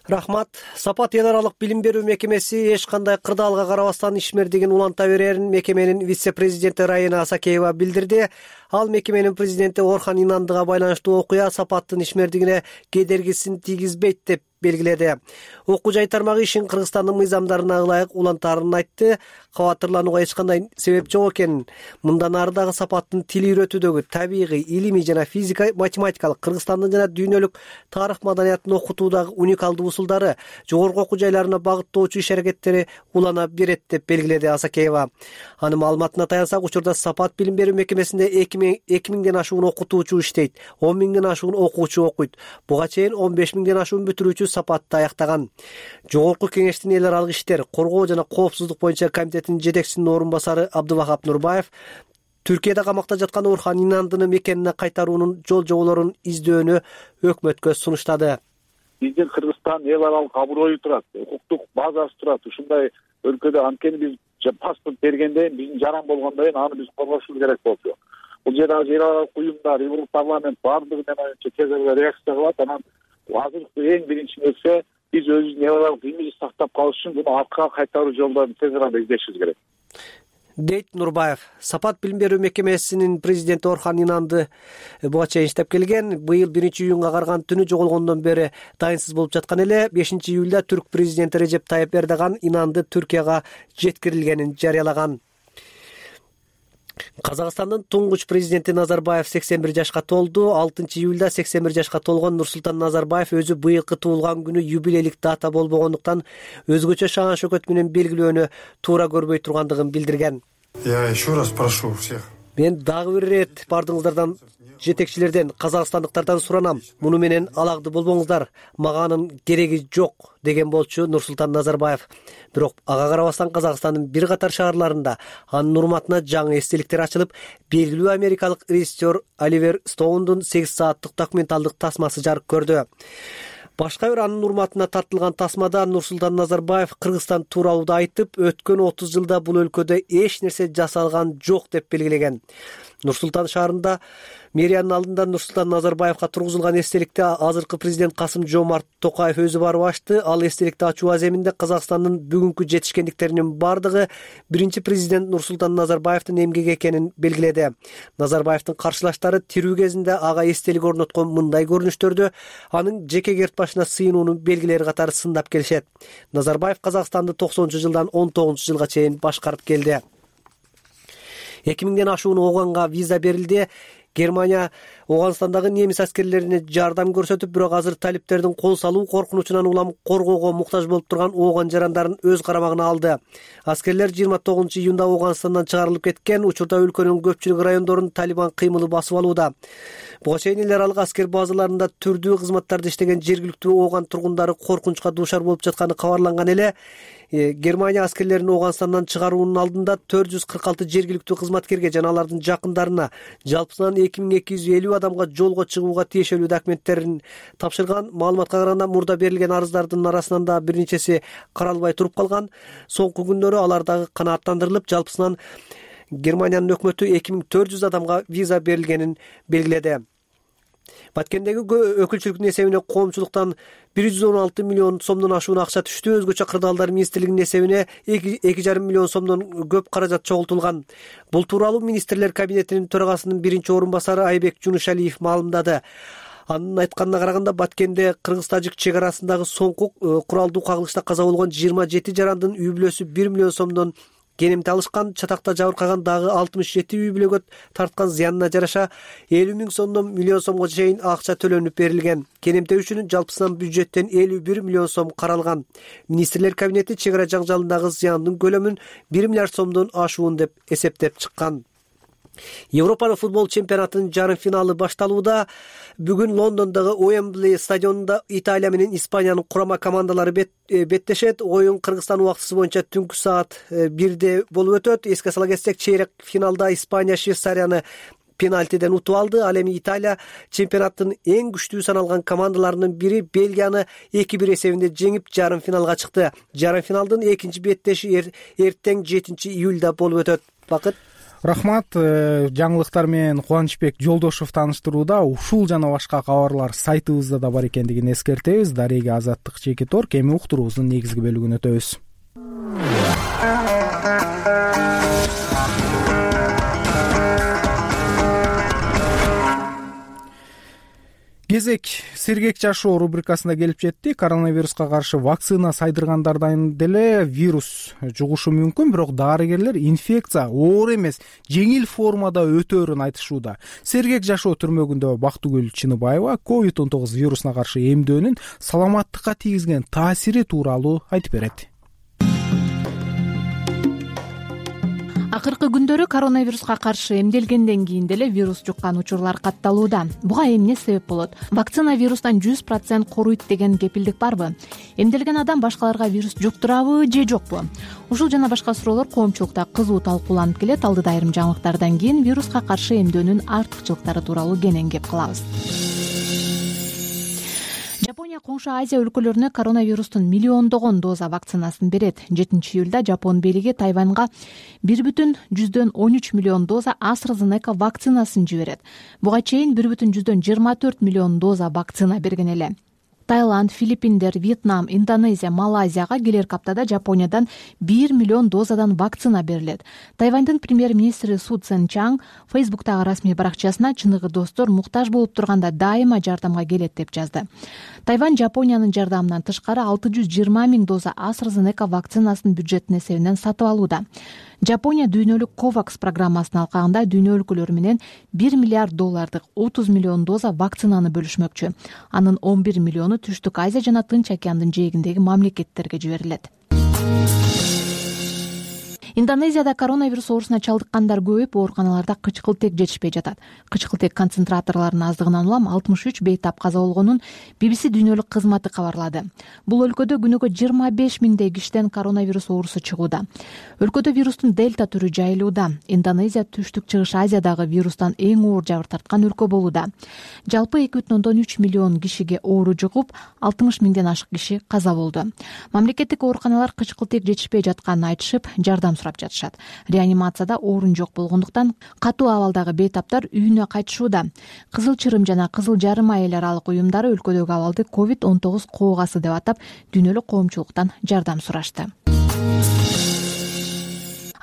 Рахмат. Сапат эл аралык билим берүү мекемеси эч кандай кырдаалга карабастан ишмердигин уланта берерин мекеменин вице-президенти Райына Асакеева билдирди. Ал мекеменин президенти Орхан Инандыга байланыштуу окуя Сапаттын ишмердигине кедергисин тийгизбейт деп белгиледи. Окуу жай тармагы ишин Кыргызстандын мыйзамдарына ылайык улантаарын айтты. Кабаттырланууга эч кандай себеп жок экенин, мындан ары дагы Сапаттын тил үйрөтүүдөгү табигый, илимий жана физика, математикалык Кыргызстандын жана дүйнөлүк тарых маданиятын окутуудагы уникалдуу усулдары жогорку окуу жайларына багыттоочу иш-аракеттери улана берет деп белгиледи Асакеева. Анын маалыматына таянсак, учурда Сапат билим берүү мекемесинде эки миңден ашуун окутуучу иштейт, он миңден ашуун окуучу окуйт. Буга чейин он беш миңден ашуун бүтүрүүчү Сапатты аяктаган. Жогорку кеңештин эл аралык иштер, коргоо жана коопсуздук боюнча комитетинин жетекчисинин орун басары Абдывахап Нурбаев Түркияда камакта жаткан Орхан Инандыны мекенине кайтаруунун жол жоболорун издөөнү өкмөткө сунуштады. Биздин Кыргызстан эл аралык аброю турат, укуктук базасы турат. Ушундай өлкөдө анткени биз паспорт бергенде биздин жаран болгондон кийин аны биз коргошубуз керек болчу. Бул жерде азыр эл аралык уюмдар, Европарламент баардыгы мен оюнча тез арада реакция кылат. Анан азыркы эң биринчи нерсе биз өзүбүздүн эл аралык имиджди сактап калыш үчүн муну артка кайтаруу жолдорун тез арада издешибиз керек, дейт Нурбаев. Сапат билим берүү мекемесинин президенти Орхан Инанды буга чейин иштеп келген. Быйыл биринчи июнга карган түнү жоголгондон бери дайынсыз болуп жаткан эле. бешинчи июлда түрк президенти Режеп Тайып Эрдоган Инанды Түркияга жеткирилгенин жарыялаган. Казакстандын туңгуч президенти Назарбаев сексен бир жашка толду. алтынчы июлда сексен бир жашка толгон Нурсултан Назарбаев өзү быйылкы туулган күнү юбилейлик дата болбогондуктан өзгөчө шаан шөкөт менен белгилөөнү туура көрбөй тургандыгын билдирген. Я еще раз прошу всех. Мен дагы бир ирет бардыгыңыздардан, жетекчилерден, казакстандыктардан суранам. Муну менен алакты болбоңуздар. Мага анын кереги жок, деген болчу Нурсултан Назарбаев. Бирок ага карабастан Казакстандын бир катар шаарларында анын урматына жаңы эстеликтер ачылып, белгилүү америкалык режиссер Оливер Стоундун сегиз сааттык документалдык тасмасы жарык көрдү. Башка бир анын урматына тартылган тасмада Нурсултан Назарбаев Кыргызстан тууралуу айтып, өткөн отуз жылда бул өлкөдө эч нерсе жасалган жок деп белгилеген. Нурсултан шаарында мэриянын алдында Нурсултан Назарбаевга тургузулган эстеликти азыркы президент Касым Жомарт Токаев өзү барып ачты. Ал эстеликти ачуу аземинде Казакстандын бүгүнкү жетишкендиктеринин бардыгы биринчи президент Нурсултан Назарбаевдин эмгеги экенин белгиледи. Назарбаевдин каршылаштары тирүү кезинде ага эстелик орноткон мындай көрүнүштөрдү анын жеке керт башына сыйынуунун белгилери катары сындап келишет. Назарбаев Казакстанды токсонунчу жылдан он тогузунчу жылга чейин башкарып келди. эки миңден ашуун оганга виза берилди. Германия Ооганстандагы немис аскерлерине жардам көрсөтүп, бирок азыр талиптердин кол салуу коркунучунан улам коргоого муктаж болуп турган ооган жарандарын өз карамагына алды. Аскерлер жыйырма тогузунчу июнда Ооганстандан чыгарылып кеткен. Учурда өлкөнүн көпчүлүк райондорун Талибан кыймылы басып алууда. Буга чейин эл аралык аскер базаларында түрдүү кызматтарды иштеген жергиликтүү ооган тургундары коркунучка дуушар болуп жатканы кабарланган эле. Германия аскерлерин Ооганстандан чыгаруунун алдында төрт жүз кырк алты жергиликтүү кызматкерге жана алардын жакындарына жалпысынан эки миң эки жүз элүү адамга жолго чыгууга тиешелүү документтерин тапшырган. Маалыматка караганда, мурда берилген арыздардын арасынан да бир нечеси каралбай туруп калган. Соңку күндөрү алар дагы канааттандырылып, жалпысынан Германиянын өкмөтү эки миң төрт жүз адамга виза берилгенин белгиледи. Баткендеги өкүлчүлүктүн эсебине коомчулуктан бир жүз он алты миллион сомдон ашуун акча түштү. Өзгөчө кырдаалдар министрлигинин эсебине эки жарым миллион сомдон көп каражат чогултулган. Бул тууралуу министрлер кабинетинин төрагасынын биринчи орун басары Айбек Жунушалиев маалымдады. Анын айтканына караганда, Баткенде кыргыз-тажик чек арасындагы соңку куралдуу кагылышта каза болгон жыйырма жети жарандын үй бүлөсү бир миллион сомдон кенемти алышкан. Чатакта жабыркаган дагы алтымыш жети үй бүлөгө тарткан зыянына жараша элүү миң сомдон миллион сомго чейин акча төлөнүп берилген. Кенемтөө үчүн жалпысынан бюджеттен элүү бир миллион сом каралган. Министрлер кабинети чек ара жаңжалындагы зыяндын көлөмүн бир миллиард сомдон ашуун деп эсептеп чыккан. Европа футбол чемпионатынын жарым финалы башталууда. Бүгүн Лондондогу Уэмбли стадионунда Италия менен Испаниянын курама командалары беттешет. Оюн Кыргызстан убактысы боюнча түнкү саат бирде болуп өтөт. Эске сала кетсек, чейрек финалда Испания Швейцарияны пенальтиден утуп алды. Ал эми Италия чемпионаттын эң күчтүү саналган командаларынын бири Бельгияны эки бир эсебинде жеңип, жарым финалга чыкты. Жарым финалдын экинчи беттеши эртең жетинчи июлда болуп өтөт. Бакыт. Рахмат. Жаңылыктар менен Кубанычбек Жолдошов тааныштырууда. Ушул жана башка кабарлар сайтыбызда да бар экендигин эскертебиз. Дарега Азаттык Чеки Торк. Эми уктуруубуздун негизги бөлүгүнө өтөбүз. Кезек сергек жашоо рубрикасына келип жетти. Коронавируска каршы вакцина сайдыргандардан деле вирус жугушу мүмкүн, бирок дарыгерлер инфекция оор эмес, жеңил формада өтөөрүн айтышууда. Сергек жашоо түрмөгүндө Бактыгүл Чыныбаева ковид он тогуз вирусуна каршы эмдөөнүн саламаттыкка тийгизген таасири тууралуу айтып берет. Акыркы күндөрү коронавируска каршы эмделгенден кийин деле вирус жуккан учурлар катталууда. Буга эмне себеп болот? Вакцина вирустан жүз процент коруйт деген кепилдик барбы? Эмделген адам башкаларга вирус жуктурабы же жокпу? Ушул жана башка суроолор коомчулукта кызуу талкууланып келет. Алдыда айрым жаңылыктардан кийин вируска каршы эмдөөнүн артыкчылыктары тууралуу кенен кеп кылабыз. Жапония коңшу Азия өлкөлөрүнө коронавирустун миллиондогон доза вакцинасын берет. жетинчи июлда Жапон бийлиги Тайваньга бир бүтүн жүздөн он үч миллион доза AstraZeneca вакцинасын жиберет. Буга чейин бир бүтүн жүздөн жыйырма төрт миллион доза вакцина берген эле. Таиланд, Филиппиндер, Вьетнам, Индонезия, Малайзияга келерки аптада Жапониядан бир миллион дозадан вакцина берилет. Тайвандын премьер-министри Су Цзэн Чанг Фейсбуктагы расмий баракчасына чыныгы достор муктаж болуп турганда дайыма жардамга келет деп жазды. Тайвань Жапониянын жардамынан тышкары алты жүз жыйырма миң доза AstraZeneca вакцинасын бюджеттин эсебинен сатып алууда. Жапония дүйнөлүк COVAX программасынын алкагында дүйнө өлкөлөрү менен бир миллиард доллардык отуз миллион доза вакцинаны бөлүшмөкчү. Анын он бир миллиону Түштүк Азия жана Тынч океандын жээгиндеги мамлекеттерге жиберилет. Индонезияда коронавирус оорусуна чалдыккандар көбөйүп, ооруканаларда кычкылтек жетишпей жатат. Кычкылтек концентраторлорунун аздыгынан улам алтымыш үч бейтап каза болгонун би би си дүйнөлүк кызматы кабарлады. Бул өлкөдө күнүгө жыйырма беш миңдей кишиден коронавирус оорусу чыгууда. Өлкөдө вирустун дельта түрү жайылууда. Индонезия Түштүк Чыгыш Азиядагы вирустан эң оор жабыр тарткан өлкө болууда. Жалпы эки бүтүн ондон үч миллион кишиге оору жугуп, алтымыш миңден ашык киши каза болду. Мамлекеттик ооруканалар кычкылтек жетишпей жатканын айтышып, жардам сурап жатышат. Реанимацияда орун жок болгондуктан катуу абалдагы бейтаптар үйүнө кайтышууда. Кызыл Чырым жана Кызыл Жарым айыл аралык уюмдары өлкөдөгү абалды ковид он тогуз коогасы деп атап, дүйнөлүк коомчулуктан жардам сурашты.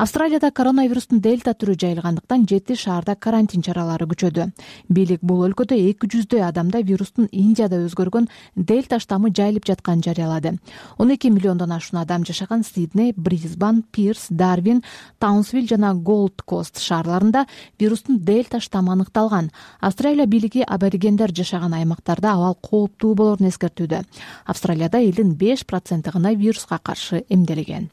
Австралияда коронавирустун дельта түрү жайылгандыктан жети шаарда карантин чаралары күчөдү. Бийлик бул өлкөдө эки жүздөй адамда вирустун Индияда өзгөргөн дельта штаммы жайылып жатканын жарыялады. он эки миллиондон ашуун адам жашаган Сидней, Брисбен, Пирс, Дарвин, Таунсвилл жана Голд Кост шаарларында вирустун дельта штаммы аныкталган. Австралия бийлиги аборигендер жашаган аймактарда абал кооптуу болорун эскертүүдө. Австралияда элдин беш проценти гана вируска каршы эмделген.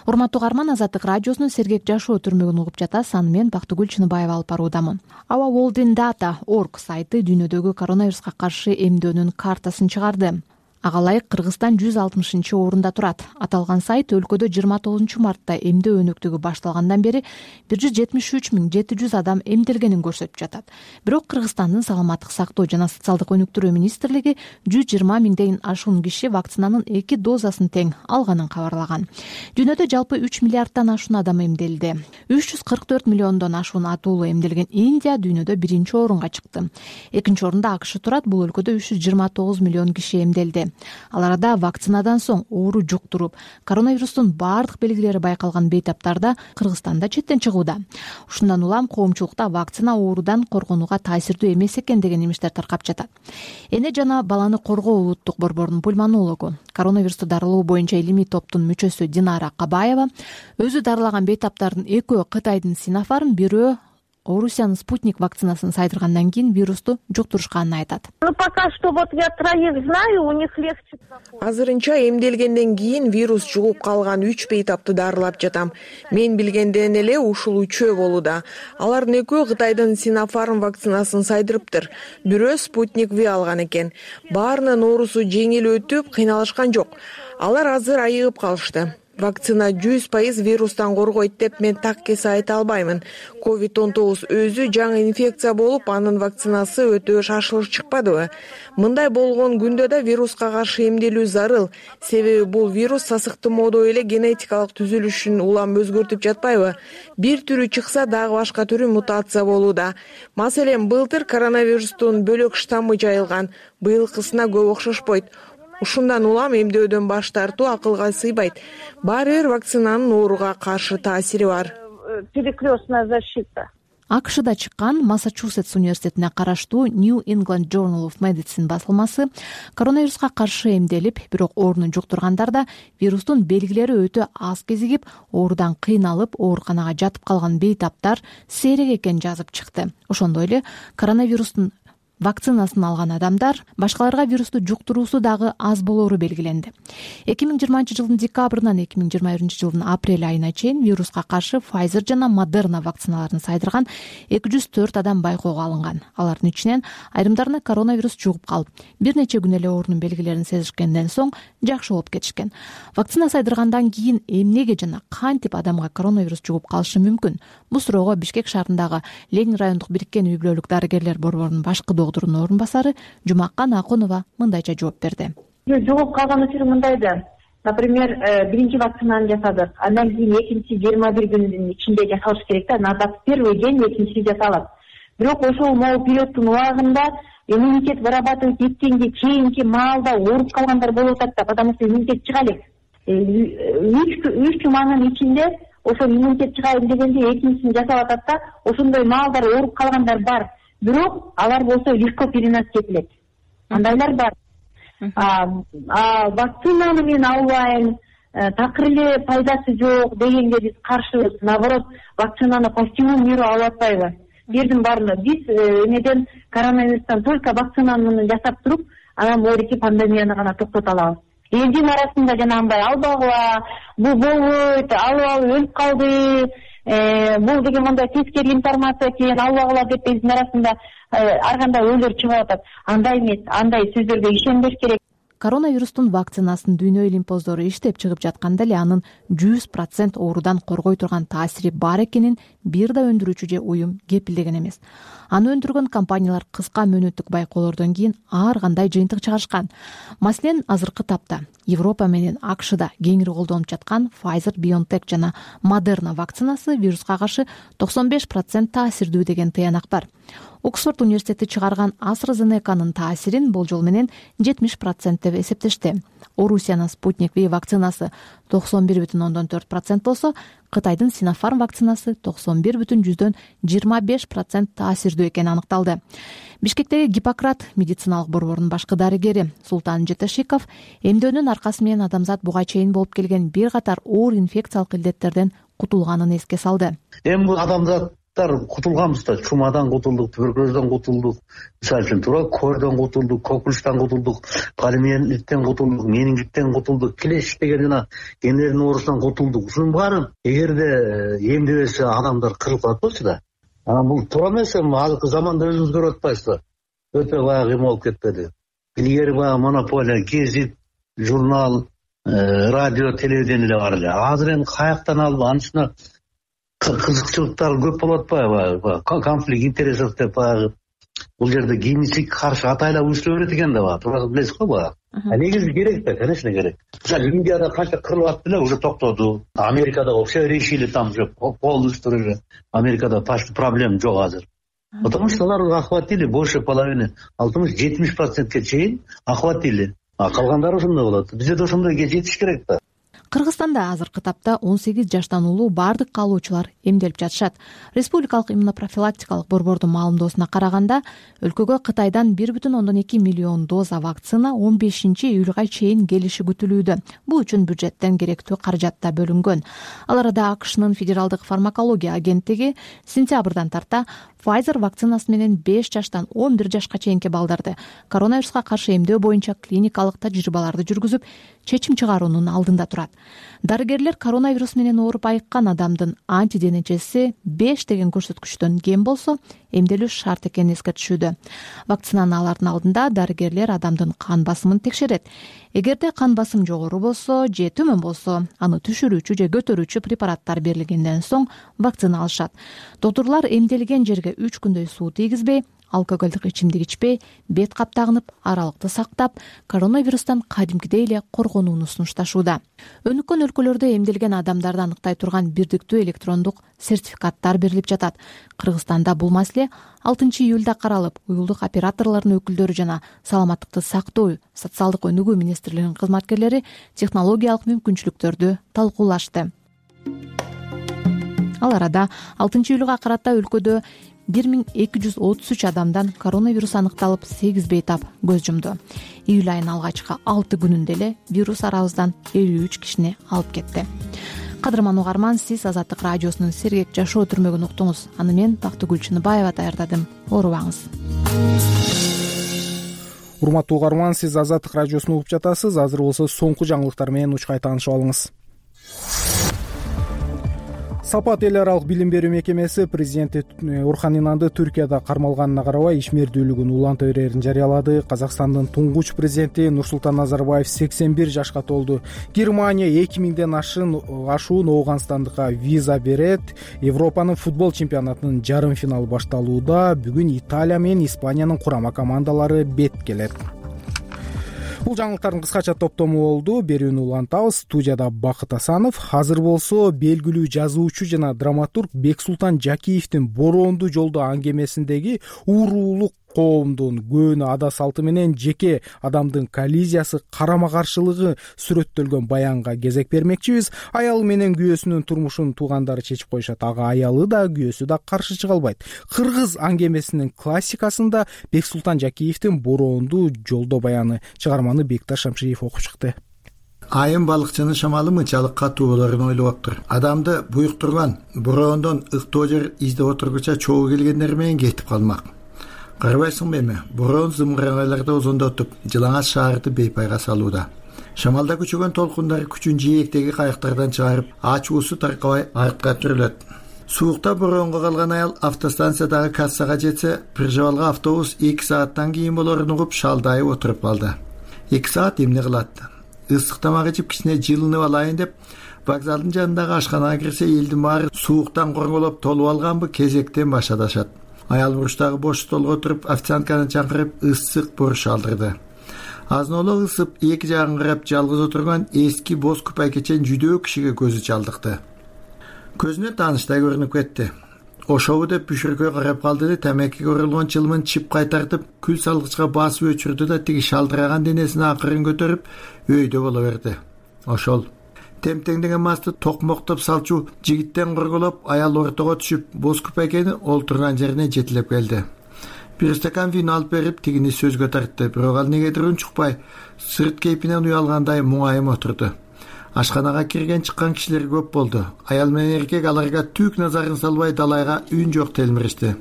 Урматтуу угарман, Азаттык радиосунун сергек жашоо түрмөгүн угуп жатасыз. Аны мен Бактыгүл Чыныбаева алып баруудамын. Our World in Data точка орг сайты дүйнөдөгү коронавируска каршы эмдөөнүн картасын чыгарды. Ага ылайык Кыргызстан жүз алтымышынчы орунда турат. Аталган сайт өлкөдө жыйырма тогузунчу мартта эмдөө өнөктүгү башталгандан бери бир жүз жетимиш үч миң жети жүз адам эмделгенин көрсөтүп жатат. Бирок Кыргызстандын саламаттык сактоо жана социалдык өнүктүрүү министрлиги жүз жыйырма миңден ашуун киши вакцинанын эки дозасын тең алганын кабарлаган. Дүйнөдө жалпы үч миллиардтан ашуун адам эмделди. үч жүз кырк төрт миллиондон ашуун атуулу эмделген Индия дүйнөдө биринчи орунга чыкты. Экинчи орунда АКШ турат. Бул өлкөдө үч жүз жыйырма тогуз миллион киши эмделди. Ал арада вакцинадан соң оору жуктуруп, коронавирустун баардык белгилери байкалган бейтаптарда Кыргызстанда четтен чыгууда. Ушундан улам коомчулукта вакцина оорудан коргонууга таасирдүү эмес экен деген имиштер таркап жатат. Эне жана баланы коргоо улуттук борборунун пульмонологу, коронавирусту дарылоо боюнча илимий топтун мүчөсү Динара Кабаева өзү дарылаган бейтаптардын экөө Кытайдын Синофарм, бирөө Орусиянын Спутник вакцинасын сайдыргандан кийин вирусту жуктурушканын айтат. Пока что вот я троих знаю, у них легче. Азырынча эмделгенден кийин вирус жугуп калган үч бейтапты дарылап жатам. Мен билгенден эле ушул үчөө болууда. Алардын экөө Кытайдын Синофарм вакцинасын сайдырыптыр. Бирөө Спутник Ви алган экен. Баарынын оорусу жеңил өтүп, кыйналышкан жок. Алар азыр айыгып калышты. Вакцина жүз пайыз вирустан коргойт деп мен так кесе айта албаймын. ковид он тогуз өзү жаңы инфекция болуп, анын вакцинасы өтө шашылыш чыкпадыбы? Мындай болгон күндө да вируска каршы эмделүү зарыл. Себеби бул вирус сасыктымоодо эле генетикалык түзүлүшүн улам өзгөртүп жатпайбы? Бир түрү чыкса, дагы башка түрү мутация болууда. Маселен, былтыр коронавирустун бөлөк штаммы жайылган. Быйылкысына көп окшошпойт. Ушундан улам эмдөөдөн баш тартуу акылга сыйбайт. Баары бир вакцинанын ооруга каршы таасири бар. Перекрестная защита. АКШда чыккан Массачусетс университетине караштуу New England Journal of Medicine басылмасы коронавируска каршы эмделип, бирок оорууну жуктургандарда вирустун белгилери өтө аз кезигип, оорудан кыйналып, ооруканага жатып калган бейтаптар сейрек экенин жазып чыкты. Ошондой эле коронавирустун вакцинасын алган адамдар башкаларга вирусту жуктуруусу дагы аз болоору белгиленди. эки миң жыйырманчы жылдын декабрынан эки миң жыйырма биринчи жылдын апрель айына чейин вируска каршы Pfizer жана Moderna вакциналарын сайдырган эки жүз төрт адам байкоого алынган. Алардын ичинен айрымдарына коронавирус жугуп калып, бир нече күн эле оорунун белгилерин сезишкенден соң жакшы болуп кетишкен. Вакцина сайдыргандан кийин эмнеге жана кантип адамга коронавирус жугуп калышы мүмкүн? Бул суроого Бишкек шаарындагы Ленин райондук бириккен үй-бүлөлүк дарыгерлер борборунун башкы докторунун орун басары Жумакан Акунова мындайча жооп берди. Жугуп калган учуру мындай да. Например, биринчи вакцинаны жасадык. Андан кийин экинчи жыйырма бир күндүн ичинде жасалыш керек да. Надо первый день экинчиси жасалат. Бирок ошол могу периодтун убагында иммунитет вырабатывать эткенге кийинки маалда ооруп калгандар болуп атат да, потому что иммунитет чыга элек. үч жуманын ичинде ошол иммунитет чыгайын дегенде экинчисин жасап атат да, ошондой маалдар ооруп калгандар бар. Бирок алар болсо легко перенос этилет. Андайлар бар. А вакцинаны мен албайм, такыр эле пайдасы жок дегенге биз каршыбыз. Наоборот, вакцинаны по всему миру алып атпайбы? Бирдин баарына биз эмеден коронавирустан только вакцинаны жасап туруп, анан моорики пандемияны гана токтото алабыз. Элдин арасында жанагындай албагыла, бул болбойт, алып алып өлүп калды, бул деген мындай тескери информация экен, албагыла деп биздин арасында ар кандай ойлор чыгып атат. Андай эмес, андай сөздөргө ишенбеш керек. Коронавирустун вакцинасын дүйнө илимпоздору иштеп чыгып жатканда эле анын жүз процент оорудан коргой турган таасири бар экенин бир да өндүрүүчү же уюм кепилдеген эмес. Аны өндүргөн компаниялар кыска мөөнөттүк байкоолордон кийин ар кандай жыйынтык чыгарышкан. Маселен, азыркы тапта Европа менен АКШда кеңири колдонуп жаткан Pfizer, BioNTech жана Moderna вакцинасы вируска каршы токсон беш процент таасирдүү деген тыянак бар. Оксфорд университети чыгарган AstraZeneca'нын таасирин болжол менен жетимиш процент деп эсептешти. Орусиянын Спутник V вакцинасы токсон бир бүтүн ондон төрт процент болсо, Кытайдын Sinopharm вакцинасы токсон бир бүтүн жүздөн жыйырма беш процент таасирдүү экени аныкталды. Бишкектеги Гиппократ медициналык борборунун башкы дарыгери Султан Жетешиков эмдөөнүн аркасы менен адамзат буга чейин болуп келген бир катар оор инфекциялык илдеттерден кутулганын эске салды. Эми адамзаттар кутулганбыз да, чумадан кутулдук, туберкулезден кутулдук, мисалы үчүн туура кордон кутулдук, кокулуштан кутулдук, полиомиелиттен кутулдук, менингиттен кутулдук, клещ деген жана гендердин оорусунан кутулдук. Ушунун баарын эгерде эмдебесе адамдар кырылып калат болчу да. Анан бул туура эмес, эми азыркы заманда өзүңүз көрүп атпайсызбы? Өтө баягы эме болуп кетпеди. Илгери баягы монополия, гезит, журнал, радио, телевидение эле бар эле. Азыр эми каяктан алып анын үстүнө кызыкчылыктар көп болуп атпайбы? Конфликт интересов деп баягы бул жерде генетик каршы атайлап уюштура берет экен да, туура билесиз го баягы. А негизи керек да, конечно керек. Мисалы Индияда канча кырылып атты эле, уже токтоду. Америкада все решили, там уже полностью уже. Америкада почти проблем жок азыр. Потому что алар охватили больше половины, алтымыш жетимиш процентке чейин охватили. А калгандары ошондой болот. Бизде да ошондойго жетиш керек да. Кыргызстанда азыркы тапта он сегиз жаштан улуу бардык каалоочулар эмделип жатышат. Республикалык иммунопрофилактикалык борбордун маалымдоосуна караганда, өлкөгө Кытайдан бир бүтүн ондон эки миллион доза вакцина он бешинчи июлга чейин келиши күтүлүүдө. Бул үчүн бюджеттен керектүү каражат да бөлүнгөн. Ал арада АКШнын федералдык фармакология агенттиги сентябрдан тарта Pfizer вакцинасы менен беш жаштан он бир жашка чейинки балдарды коронавируска каршы эмдөө боюнча клиникалык тажрыйбаларды жүргүзүп, чечим чыгаруунун алдында турат. Дарыгерлер коронавирус менен ооруп айыккан адамдын антиденечеси беш деген көрсөткүчтөн кем болсо, эмделүү шарт экенин эскертишүүдө. Вакцинаны алардын алдында дарыгерлер адамдын кан басымын текшерет. Эгерде кан басым жогору болсо же төмөн болсо, аны түшүрүүчү же көтөрүүчү препараттар берилгенден соң вакцина алышат. Доктурлар эмделген жерге үч күндөй суу тийгизбей, алкоголдук ичимдик ичпей, бет каптагынып, аралыкты сактап, коронавирустан кадимкидей эле коргонууну сунушташууда. Өнүккөн өлкөлөрдө эмделген адамдарды аныктай турган бирдиктүү электрондук сертификаттар берилип жатат. Кыргызстанда бул маселе алтынчы июлда каралып, уюлдук операторлордун өкүлдөрү жана саламаттыкты сактоо, социалдык өнүгүү министрлигинин кызматкерлери технологиялык мүмкүнчүлүктөрдү талкуулашты. Ал арада алтынчы июлга карата өлкөдө бир миң эки жүз отуз үч адамдан коронавирус аныкталып, сегиз бейтап көз жумду. Июль айынын алгачкы алты күнүндө эле вирус арабыздан элүү үч кишини алып кетти. Кадырман угарман, сиз Азаттык радиосунун сергек жашоо түрмөгүн уктуңуз. Аны мен Бактыгүл Чыныбаева даярдадым. Оорубаңыз. Урматтуу угарман, сиз Азаттык радиосун угуп жатасыз. Азыр болсо соңку жаңылыктар менен учкай таанышып алыңыз. Сапат эл аралык билим берүү мекемеси президенти Орхан Инанды Түркияда кармалганына карабай ишмердүүлүгүн уланта берерин жарыялады. Казакстандын туңгуч президенти Нурсултан Назарбаев сексен бир жашка толду. Германия эки миңден ашын ашуун Ооганстандыкка виза берет. Европанын футбол чемпионатынын жарым финалы башталууда. Бүгүн Италия менен Испаниянын курама командалары бет келет. Бул жаңылыктардын кыскача топтому болду. Берүүнү улантабыз. Студияда Бакыт Асанов. Азыр болсо белгилүү жазуучу жана драматург Бексултан Жакиевдин Бороондуу жолдо аңгемесиндеги уурулук коомдун көөнү ада салты менен жеке адамдын коллизиясы, карама каршылыгы сүрөттөлгөн баянга кезек бермекчибиз. Аялы менен күйөөсүнүн турмушун туугандары чечип коюшат. Ага аялы да, күйөөсү да каршы чыга албайт. Кыргыз аңгемесинин классикасында Бексултан Жакиевдин Бороондуу жолдо баяны чыгарманы Бекташ Шамшиев окуп чыкты. Айым балыкчынын шамалы мынчалык катуу болорун ойлоптур. Адамды буюктурган бороондон ыктоо жер издеп отургуча чогуу келгендер менен кетип калмак. Карабайсыңбы эми, бороон зымырайларды озондотуп, жылаңач шаарды бейпайга салууда. Шамалда күчөгөн толкундар күчүн жээктеги кайыктардан чыгарып, ачуусу таркабай артка түрөлөт. Суукта бороонго калган аял автостанциядагы кассага жетсе, Прижавалга автобус эки сааттан кийин болорун угуп, шалдайып отуруп калды. эки саат эмне кылат? Ысык тамак ичип кичине жылынып алайын деп, вокзалдын жанындагы ашканага кирсе, элдин баары сууктан корголоп толуп алганбы, кезектен башадашат. Аял буруштагы бош столго отуруп, официантканы чаңкырып, ысык боруш алдырды. Азноло ысып, эки жагын карап жалгыз отурган эски боз купайкечен жүдөө кишиге көзү чалдыкты. Көзүнө тааныштай көрүнүп кетти. ошобу деп бүшүркөй карап калды да тамекиге оролгон чылымын чип кайтартып күл салгычка басып өчүрдү да тиги шалдыраган денесин акырын көтөрүп өйдө боло берди. Ошол темтеңдеген масты токмоктоп салчу жигиттен корголоп аял ортого түшүп боз күпөйкени олтурган жерине жетилеп келди. Бир стакан вино алып берип тигини сөзгө тартты, бирок ал негедир унчукпай сырт кейпинен уялгандай муңайым отурду. Ашканага кирген чыккан кишилер көп болду. Аял менен эркек аларга түк назарын салбай далайга үн жок телмиришти.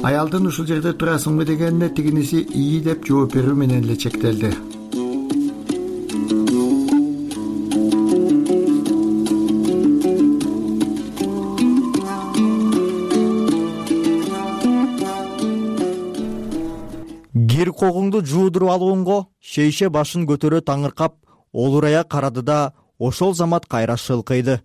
Аялдын ушул жерде турасыңбы дегенине тигиниси ии деп жооп берүү менен эле чектелди. Кир когуңду жуудуруп алгонго шейше башын көтөрө таңыркап олурая карады да ошол замат кайра шылкыйды.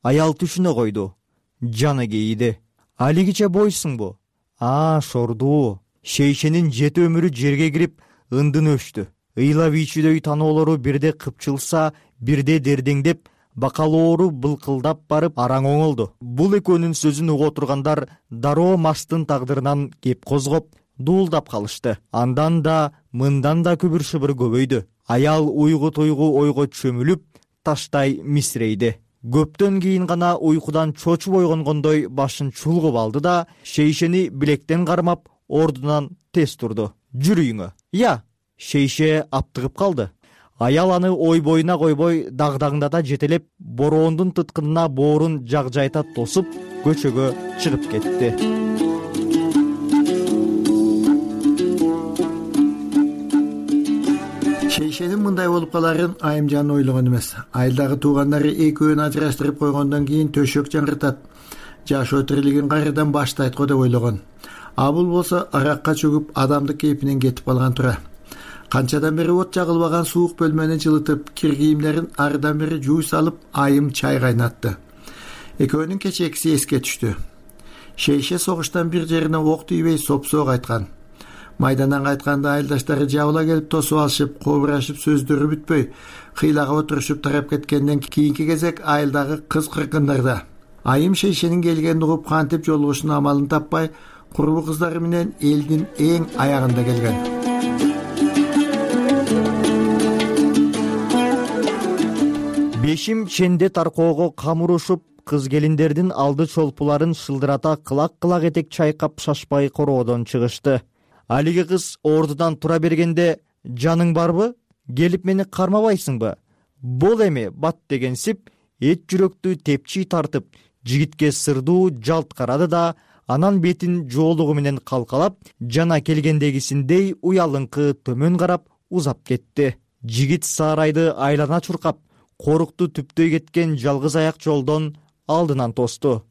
Аял түшүнө койду. Жаны кейиди. Алигиче бойсуңбу? А, шордуу. Шейшенин жети өмүрү жерге кирип ындын өчтү. Ыйла вичүдөй таноолору бирде кыпчылса, бирде дердеңдеп, бакалоору былкылдап барып араң оңолду. Бул экөөнүн сөзүн уга отургандар дароо Марстын тагдырынан кеп козгоп, дуулдап калышты. Андан да, мындан да күбүр шыбыр көбөйдү. Аял уйгу туйгу ойго чөмүлүп, таштай мисирейди. Көптөн кийин гана уйкудан чочуп ойгонгондой башын чулгуп алды да, шейшени билектен кармап, ордунан тез турду. Жүрүңө. Я, шейше аптыгып калды. Аял аны ой боюна койбой, дагдаңдата жетелеп, бороондун тыткынына боорун жагжайта тосуп, көчөгө чыгып кетти. Шейшенин мындай болуп каларын Айымжан ойлогон эмес. Айылдагы туугандары экөөнү ажыраштырып койгондон кийин төшөк жаңыртат, жашоо тирилигин кайрадан баштайт го деп ойлогон. А бул болсо аракка чөгүп адамдык кейпинен кетип калган тура. Канчадан бери от жагылбаган суук бөлмөнү жылытып, кир кийимдерин арыдан бери жуу салып, Айым чай кайнатты. Экөөнүн кечекиси эске түштү. Шейше согуштан бир жерине ок тийбей сопсоо кайткан. Майдандан кайтканда айылдаштары жабыла келип тосуп алышып, кобурашып, сөздөрү бүтпөй, кыйлага отурушуп тарап кеткенден кийинки кезек айылдагы кыз кыркындарда. Айым шейшенин келгенин угуп кантип жолугушунун амалын таппай, курбу кыздары менен элдин эң аягында келген. Бешим ченде таркоого камырушуп, кыз келиндердин алды чолпуларын шылдырата кылак-кылак этек чайкап шашпай короодон чыгышты. Алиги кыз ордудан тура бергенде, жаның барбы? Келип мени кармабайсыңбы? Бол эми бат дегенсип, эт жүрөктү тепчи тартып, жигитке сырдуу жалт карады да, анан бетин жоолугу менен калкалап, жана келгендегисиндей уялыңкы төмөн карап узап кетти. Жигит саарайды айлана чуркап, корукту түптөй кеткен жалгыз аяк жолдон алдынан тосту.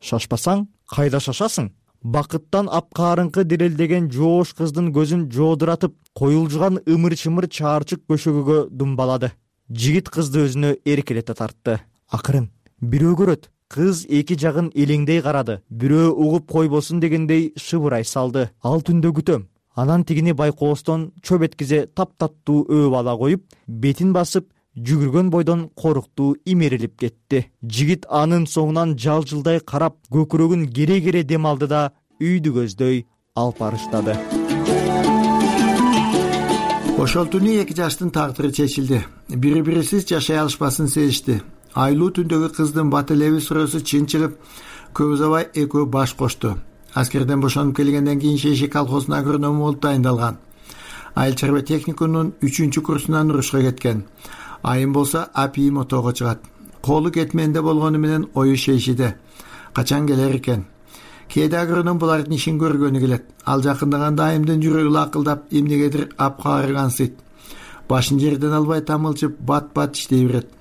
Шашпасаң, кайда шашасың? Бакыттан апкаарыңкы дирелдеген жоош кыздын көзүн жоодуратып, коюлжуган ымыр-чымыр чаарчык көшөгөгө думбалады. Жигит кызды өзүнө эркелете тартты. Акырын, бирөө көрөт. Кыз эки жагын элеңдей карады. Бирөө угуп койбосун дегендей шыбырай салды. Ал түндө күтөм. Анан тигини байкоостон чөп эткизе таптаттуу өөп ала коюп, бетин басып, жүгүргөн бойдон коруктуу имерилип кетти. Жигит анын соңунан жалжылдай карап, көкүрөгүн кере-кере дем алды да үйдү көздөй алып барыштады. Ошол түнү эки жаштын тагдыры чечилди. Бири-бирисиз жашай алышпасын сезишти. Айлуу түндөгү кыздын бат элеби суроосу чын чыгып, көп узабай экөө баш кошту. Аскерден бошонуп келгенден кийин шейше колхоздун агроному болуп дайындалган. Айыл чарба техникумунун үчүнчү курсунан урушка кеткен. Айым болсо апийим отоого чыгат. Колу кетменде болгону менен ою шейшиде. Качан келер экен? Кээде агроном булардын ишин көргөнү келет. Ал жакындаганда айымдын жүрөгү лакылдап, эмнегедир апкаарыгансыйт. Башын жерден албай тамылчып, бат-бат иштей берет.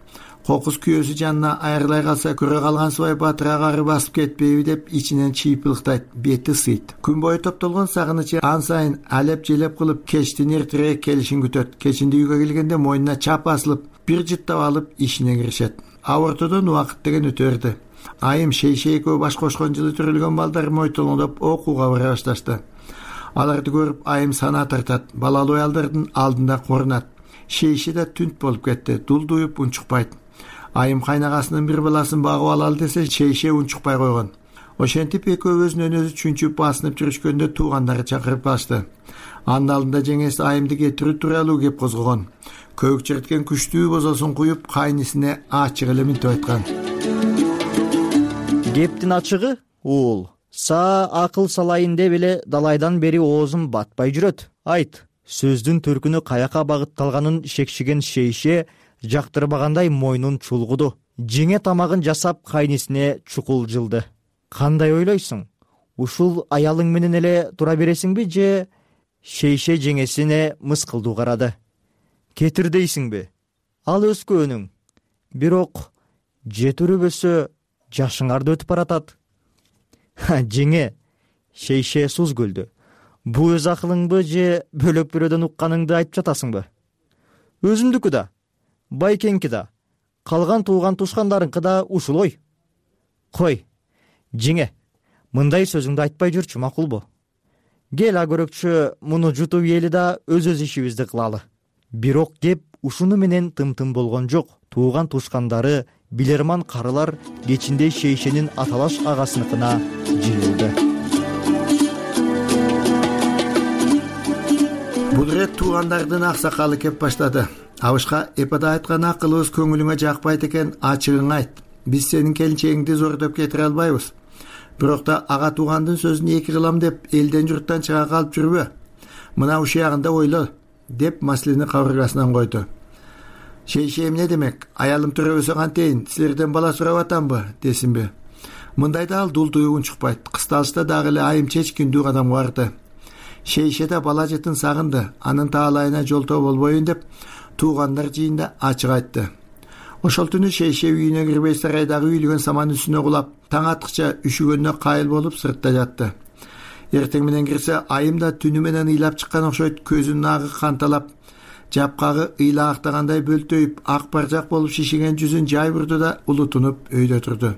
Кокус күйөөсү жанына айрылай калса, көрө калгансыбай батырак ары басып кетпейби деп ичинен чыйпылыктайт, бети сыйт. Күн бою топтолгон сагынычы ан сайын алеп-желеп кылып, кечтин эртерээк келишин күтөт. Кечинде үйгө келгенде мойнуна чап асылып, бир жыттап алып ишине киришет. Абортодон убакыт деген өтө берди. Айым шейше экөө баш кошкон жылы төрөлгөн балдар мойтолоңдоп окууга бара башташты. Аларды көрүп айым сана тартат, балалуу аялдардын алдында корунат. Шейше да түнт болуп кетти, дулдуюп унчукпайт. Айым кайнагасынын бир баласын багып алалы десе, шейше унчукпай койгон. Ошентип экөөбүздүн өнөзү чүнчүп басынып жүрүшкөндө туугандары чакырып калышты. Анын алдында жеңеси айымды кетирүү тууралуу кеп козгогон. Көк черткен күчтүү бозосун куюп кайнисине ачык эле мынтип айткан. Кептин ачыгы уул. Са акыл салайын деп эле далайдан бери оозум батпай жүрөт. Айт. Сөздүн төркүнү каяка багытталганын шекшиген шейше жактырбагандай мойнун чулгуду. Жеңе тамагын жасап кайнисине чукул жылды. Кандай ойлойсуң? Ушул аялың менен эле тура бересиңби же? Шейше жеңесине мыскылдуу карады. Кетир дейсиңби? Ал өскөнүң. Бирок жетирбөсө жашыңарды өтүп баратат. Жеңе, шейше суз көлдү. Бу өз акылыңбы же бөлөк бирөөдөн укканыңды айтып жатасыңбы? Өзүмдүкү да, байкеңки да, калган тууган тушкандарыңкы да ушулой. Кой, жеңе, мындай сөзүңдү айтпай жүрчү, макулбу? Кел а көрөкчү муну жутуп ээли да өз-өз ишибизди кылалы. Бирок кеп ушуну менен тым-тым болгон жок. Тууган тушкандары, билерман карылар кечинде шейшенин аталаш агасыныкына жыйылды. Бул ирет туугандардын аксакалы кеп баштады. Абышка эпада айткан акылыбыз көңүлүңө жакпайт экен, ачыгың айт. Биз сенин келинчегиңди зордоп кетире албайбыз. Бирок да ага туугандын сөзүн эки кылам деп элден журттан чыга калып жүрбө. Мына ушул ягында ойло, деп маселени кабыргасынан койду. Шейше эмне демек? Аялым төрөбөсө кантейин? Силерден бала сурап атамбы, десинби? Мындайда ал дул туйгун чукпайт. Кысталышта дагы эле айым чечкиндүү кадамга барды. Шейше да бала жытын сагынды. Анын таалайына жолтоо болбоюн деп туугандар жыйында ачык айтты. Ошол түнү шейше үйүнө кирбей сарайдагы үйлөгөн саман үстүнө кулап, таң аткыча үшүгөнүнө кайыл болуп сыртта жатты. Эртең менен кирсе, айым да түнү менен ыйлап чыккан окшойт, көзүнүн агы канталап, жапкагы ыйла актагандай бөлтөйүп, ак баржак болуп шишиген жүзүн жай бурду да улутунуп өйдө турду.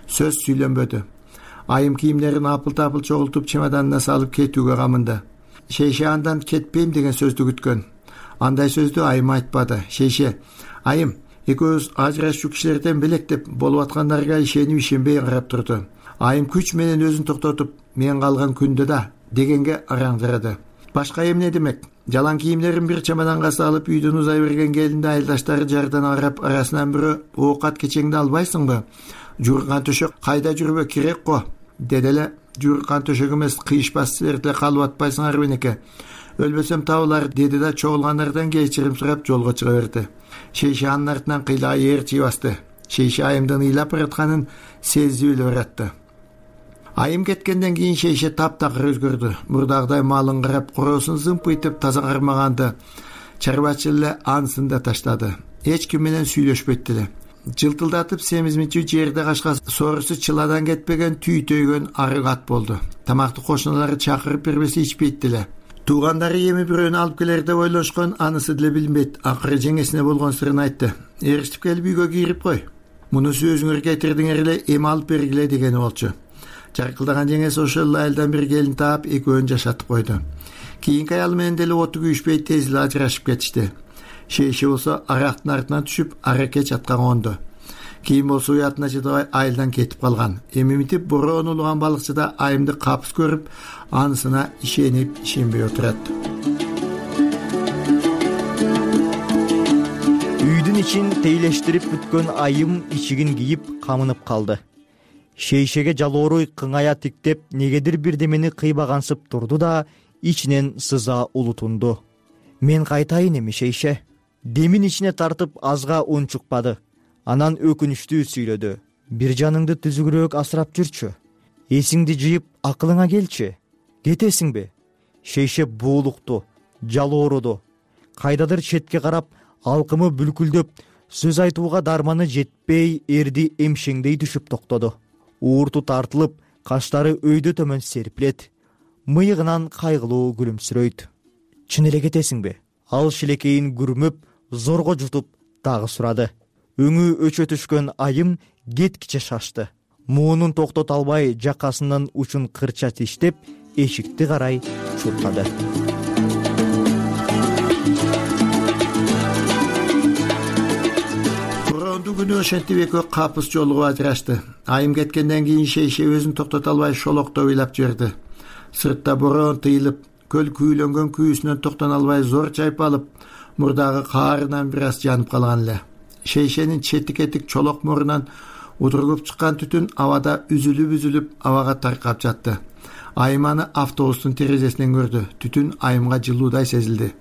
Сөз сүйлөнбөдү. Айым кийимдерин апыл-тапыл чогултуп чемоданына салып кетүүгө камынды. Шейше андан кетпейм деген сөздү күткөн. Андай сөздү айым айтпады. Шейше, айым, экөөбүз ажырашуу кишилерден белек деп болуп аткандарга ишенип ишенбей карап турду. Айым күч менен өзүн токтотуп, мен калган күндө да дегенге араңдырады. Башка эмне демек? Жалаң кийимдерин бир чемоданга салып үйдөн узай берген келинди айылдаштары жардан карап, арасынан бирөө оокат кечеңди албайсыңбы? Жууркан төшөк кайда жүрбө керек го, деди эле. Жууркан төшөк эмес, кыйышпас силер деле калып атпайсыңар менеке. Өлбөсөм табылар, деди да чогулгандардан кечирим сурап жолго чыга берди. Шейше анын артынан кыйла ээрчи басты. Шейше айымдын ыйлап баратканын сезип эле баратты. Айым кеткенден кийин шейше таптакыр өзгөрдү. Мурдагыдай малын карап, короосун зымпыйтып таза кармаганды. Чарбачыл эле анысын да таштады. Эч ким менен сүйлөшпөйт эле. Жылтылдатып семизинчи жерде качка соорусу чыладан кетпеген түйтөйгөн арык ат болду. Тамакты кошуналары чакырып бербесе ичпейт деле. Туугандары эми бирөөнү алып келер деп ойлошкон, анысы деле билбейт. Акыры жеңесине болгон сырын айтты. Эриштип келип үйгө кирип кой. Мунусу өзүңөр кетирдиңер эле, эми алып бергиле дегени болчу. Жаркылдаган жеңеси ошол айылдан бир келин таап, экөөнү жашатып койду. Кийинки аялы менен деле оту күйүшпөй тез эле ажырашып кетишти. Шейше болсо арактын артынан түшүп, араке чатка конду. Кийин болсо уятына чыдабай айылдан кетип калган. Эми митип бороон улуган балыкчы да айымды капыс көрүп, анысына ишенип ишенбей отурат. Үйдүн ичин тейлештирип бүткөн айым ичигин кийип камынып калды. Шейшеге жалооруй кыңая тиктеп, негедир бирдемени кыйбагансып турду да ичинен сыза улутунду. Мен кайтайын эми, шейше. Демин ичине тартып азга ун чукпады. Анан өкүнүчтүү сүйлөдү. Бир жаныңды түзүгүрөөк асырап жүрчү. Эсиңди жыйып, акылыңа келчи. Кетесиңби? Шейше буулукту, жалооруду. Кайдадыр четке карап, алкымы бүлкүлдөп, сөз айтууга дарманы жетпей, эрди эмшеңдей түшүп токтоду. Уурту тартылып, каштары өйдө төмөн серпилет. Мыйыгынан кайгылуу күлүмсүрөйт. Чын эле кетесиңби? Ал шилекейин күрмөп, зорго жутуп дагы сурады. Өңү өчө түшкөн айым кеткиче шашты. Муунун токтото албай, жакасынын учун кырча тиштеп, эшикти карай чуркады. Бороондуу күнү ошентип экөө капыс жолугуп ажырашты. Айым кеткенден кийин Шейше өзүн токтото албай шолокто ыйлап жиберди. Сыртта бороон тыйылып, көл күүлөнгөн күйүүсүнөн токтоно албай зор чайпалып, мурдагы каарынан бир аз жанып калган эле. Шейшенин четик этик чолок мурунан удургуп чыккан түтүн абада үзүлүп-үзүлүп абага таркап жатты. Айым аны автобустун терезесинен көрдү. Түтүн айымга жылуудай сезилди.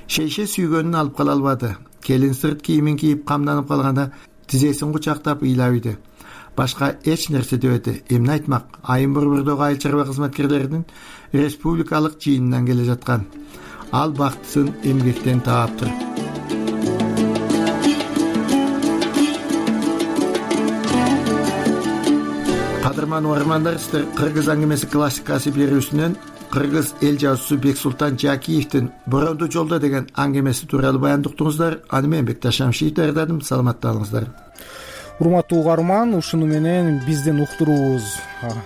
Шейше сүйгөнүн алып кала албады. Келин сырт кийимин кийип камданып калганда тизесин кучактап ыйлап ийди. Башка эч нерсе дебеди. Эмне айтмак? Айым борбордогу айыл чарба кызматкерлеринин республикалык жыйынынан келе жаткан. Ал бактысын эмгектен тааптыр. Кадырман угармандар, сиздер Кыргыз аңгемеси классикасы берүүсүнөн кыргыз эл жазуусу Бексултан Жакиевдин «Боронду жолдо» деген аңгемеси тууралуу баяндап уктуңуздар. Аны мен Бекташ Шамшиев даярдадым. Саламатталыңыздар. Урматтуу угарман, ушуну менен биздин уктуруубуз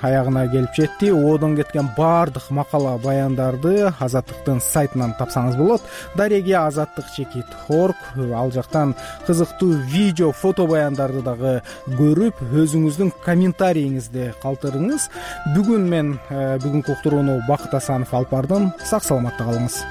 аягына келип жетти. Одон кеткен баардык макала баяндарды Азаттыктын сайтынан тапсаңыз болот. Дареги азаттык чекит орг, ал жактан кызыктуу видео, фото баяндарды дагы көрүп, өзүңүздүн комментарийиңизди калтырыңыз. Бүгүн мен бүгүнкү уктурууну Бакыт Асанов алып бардым. Сак саламатта калыңыз.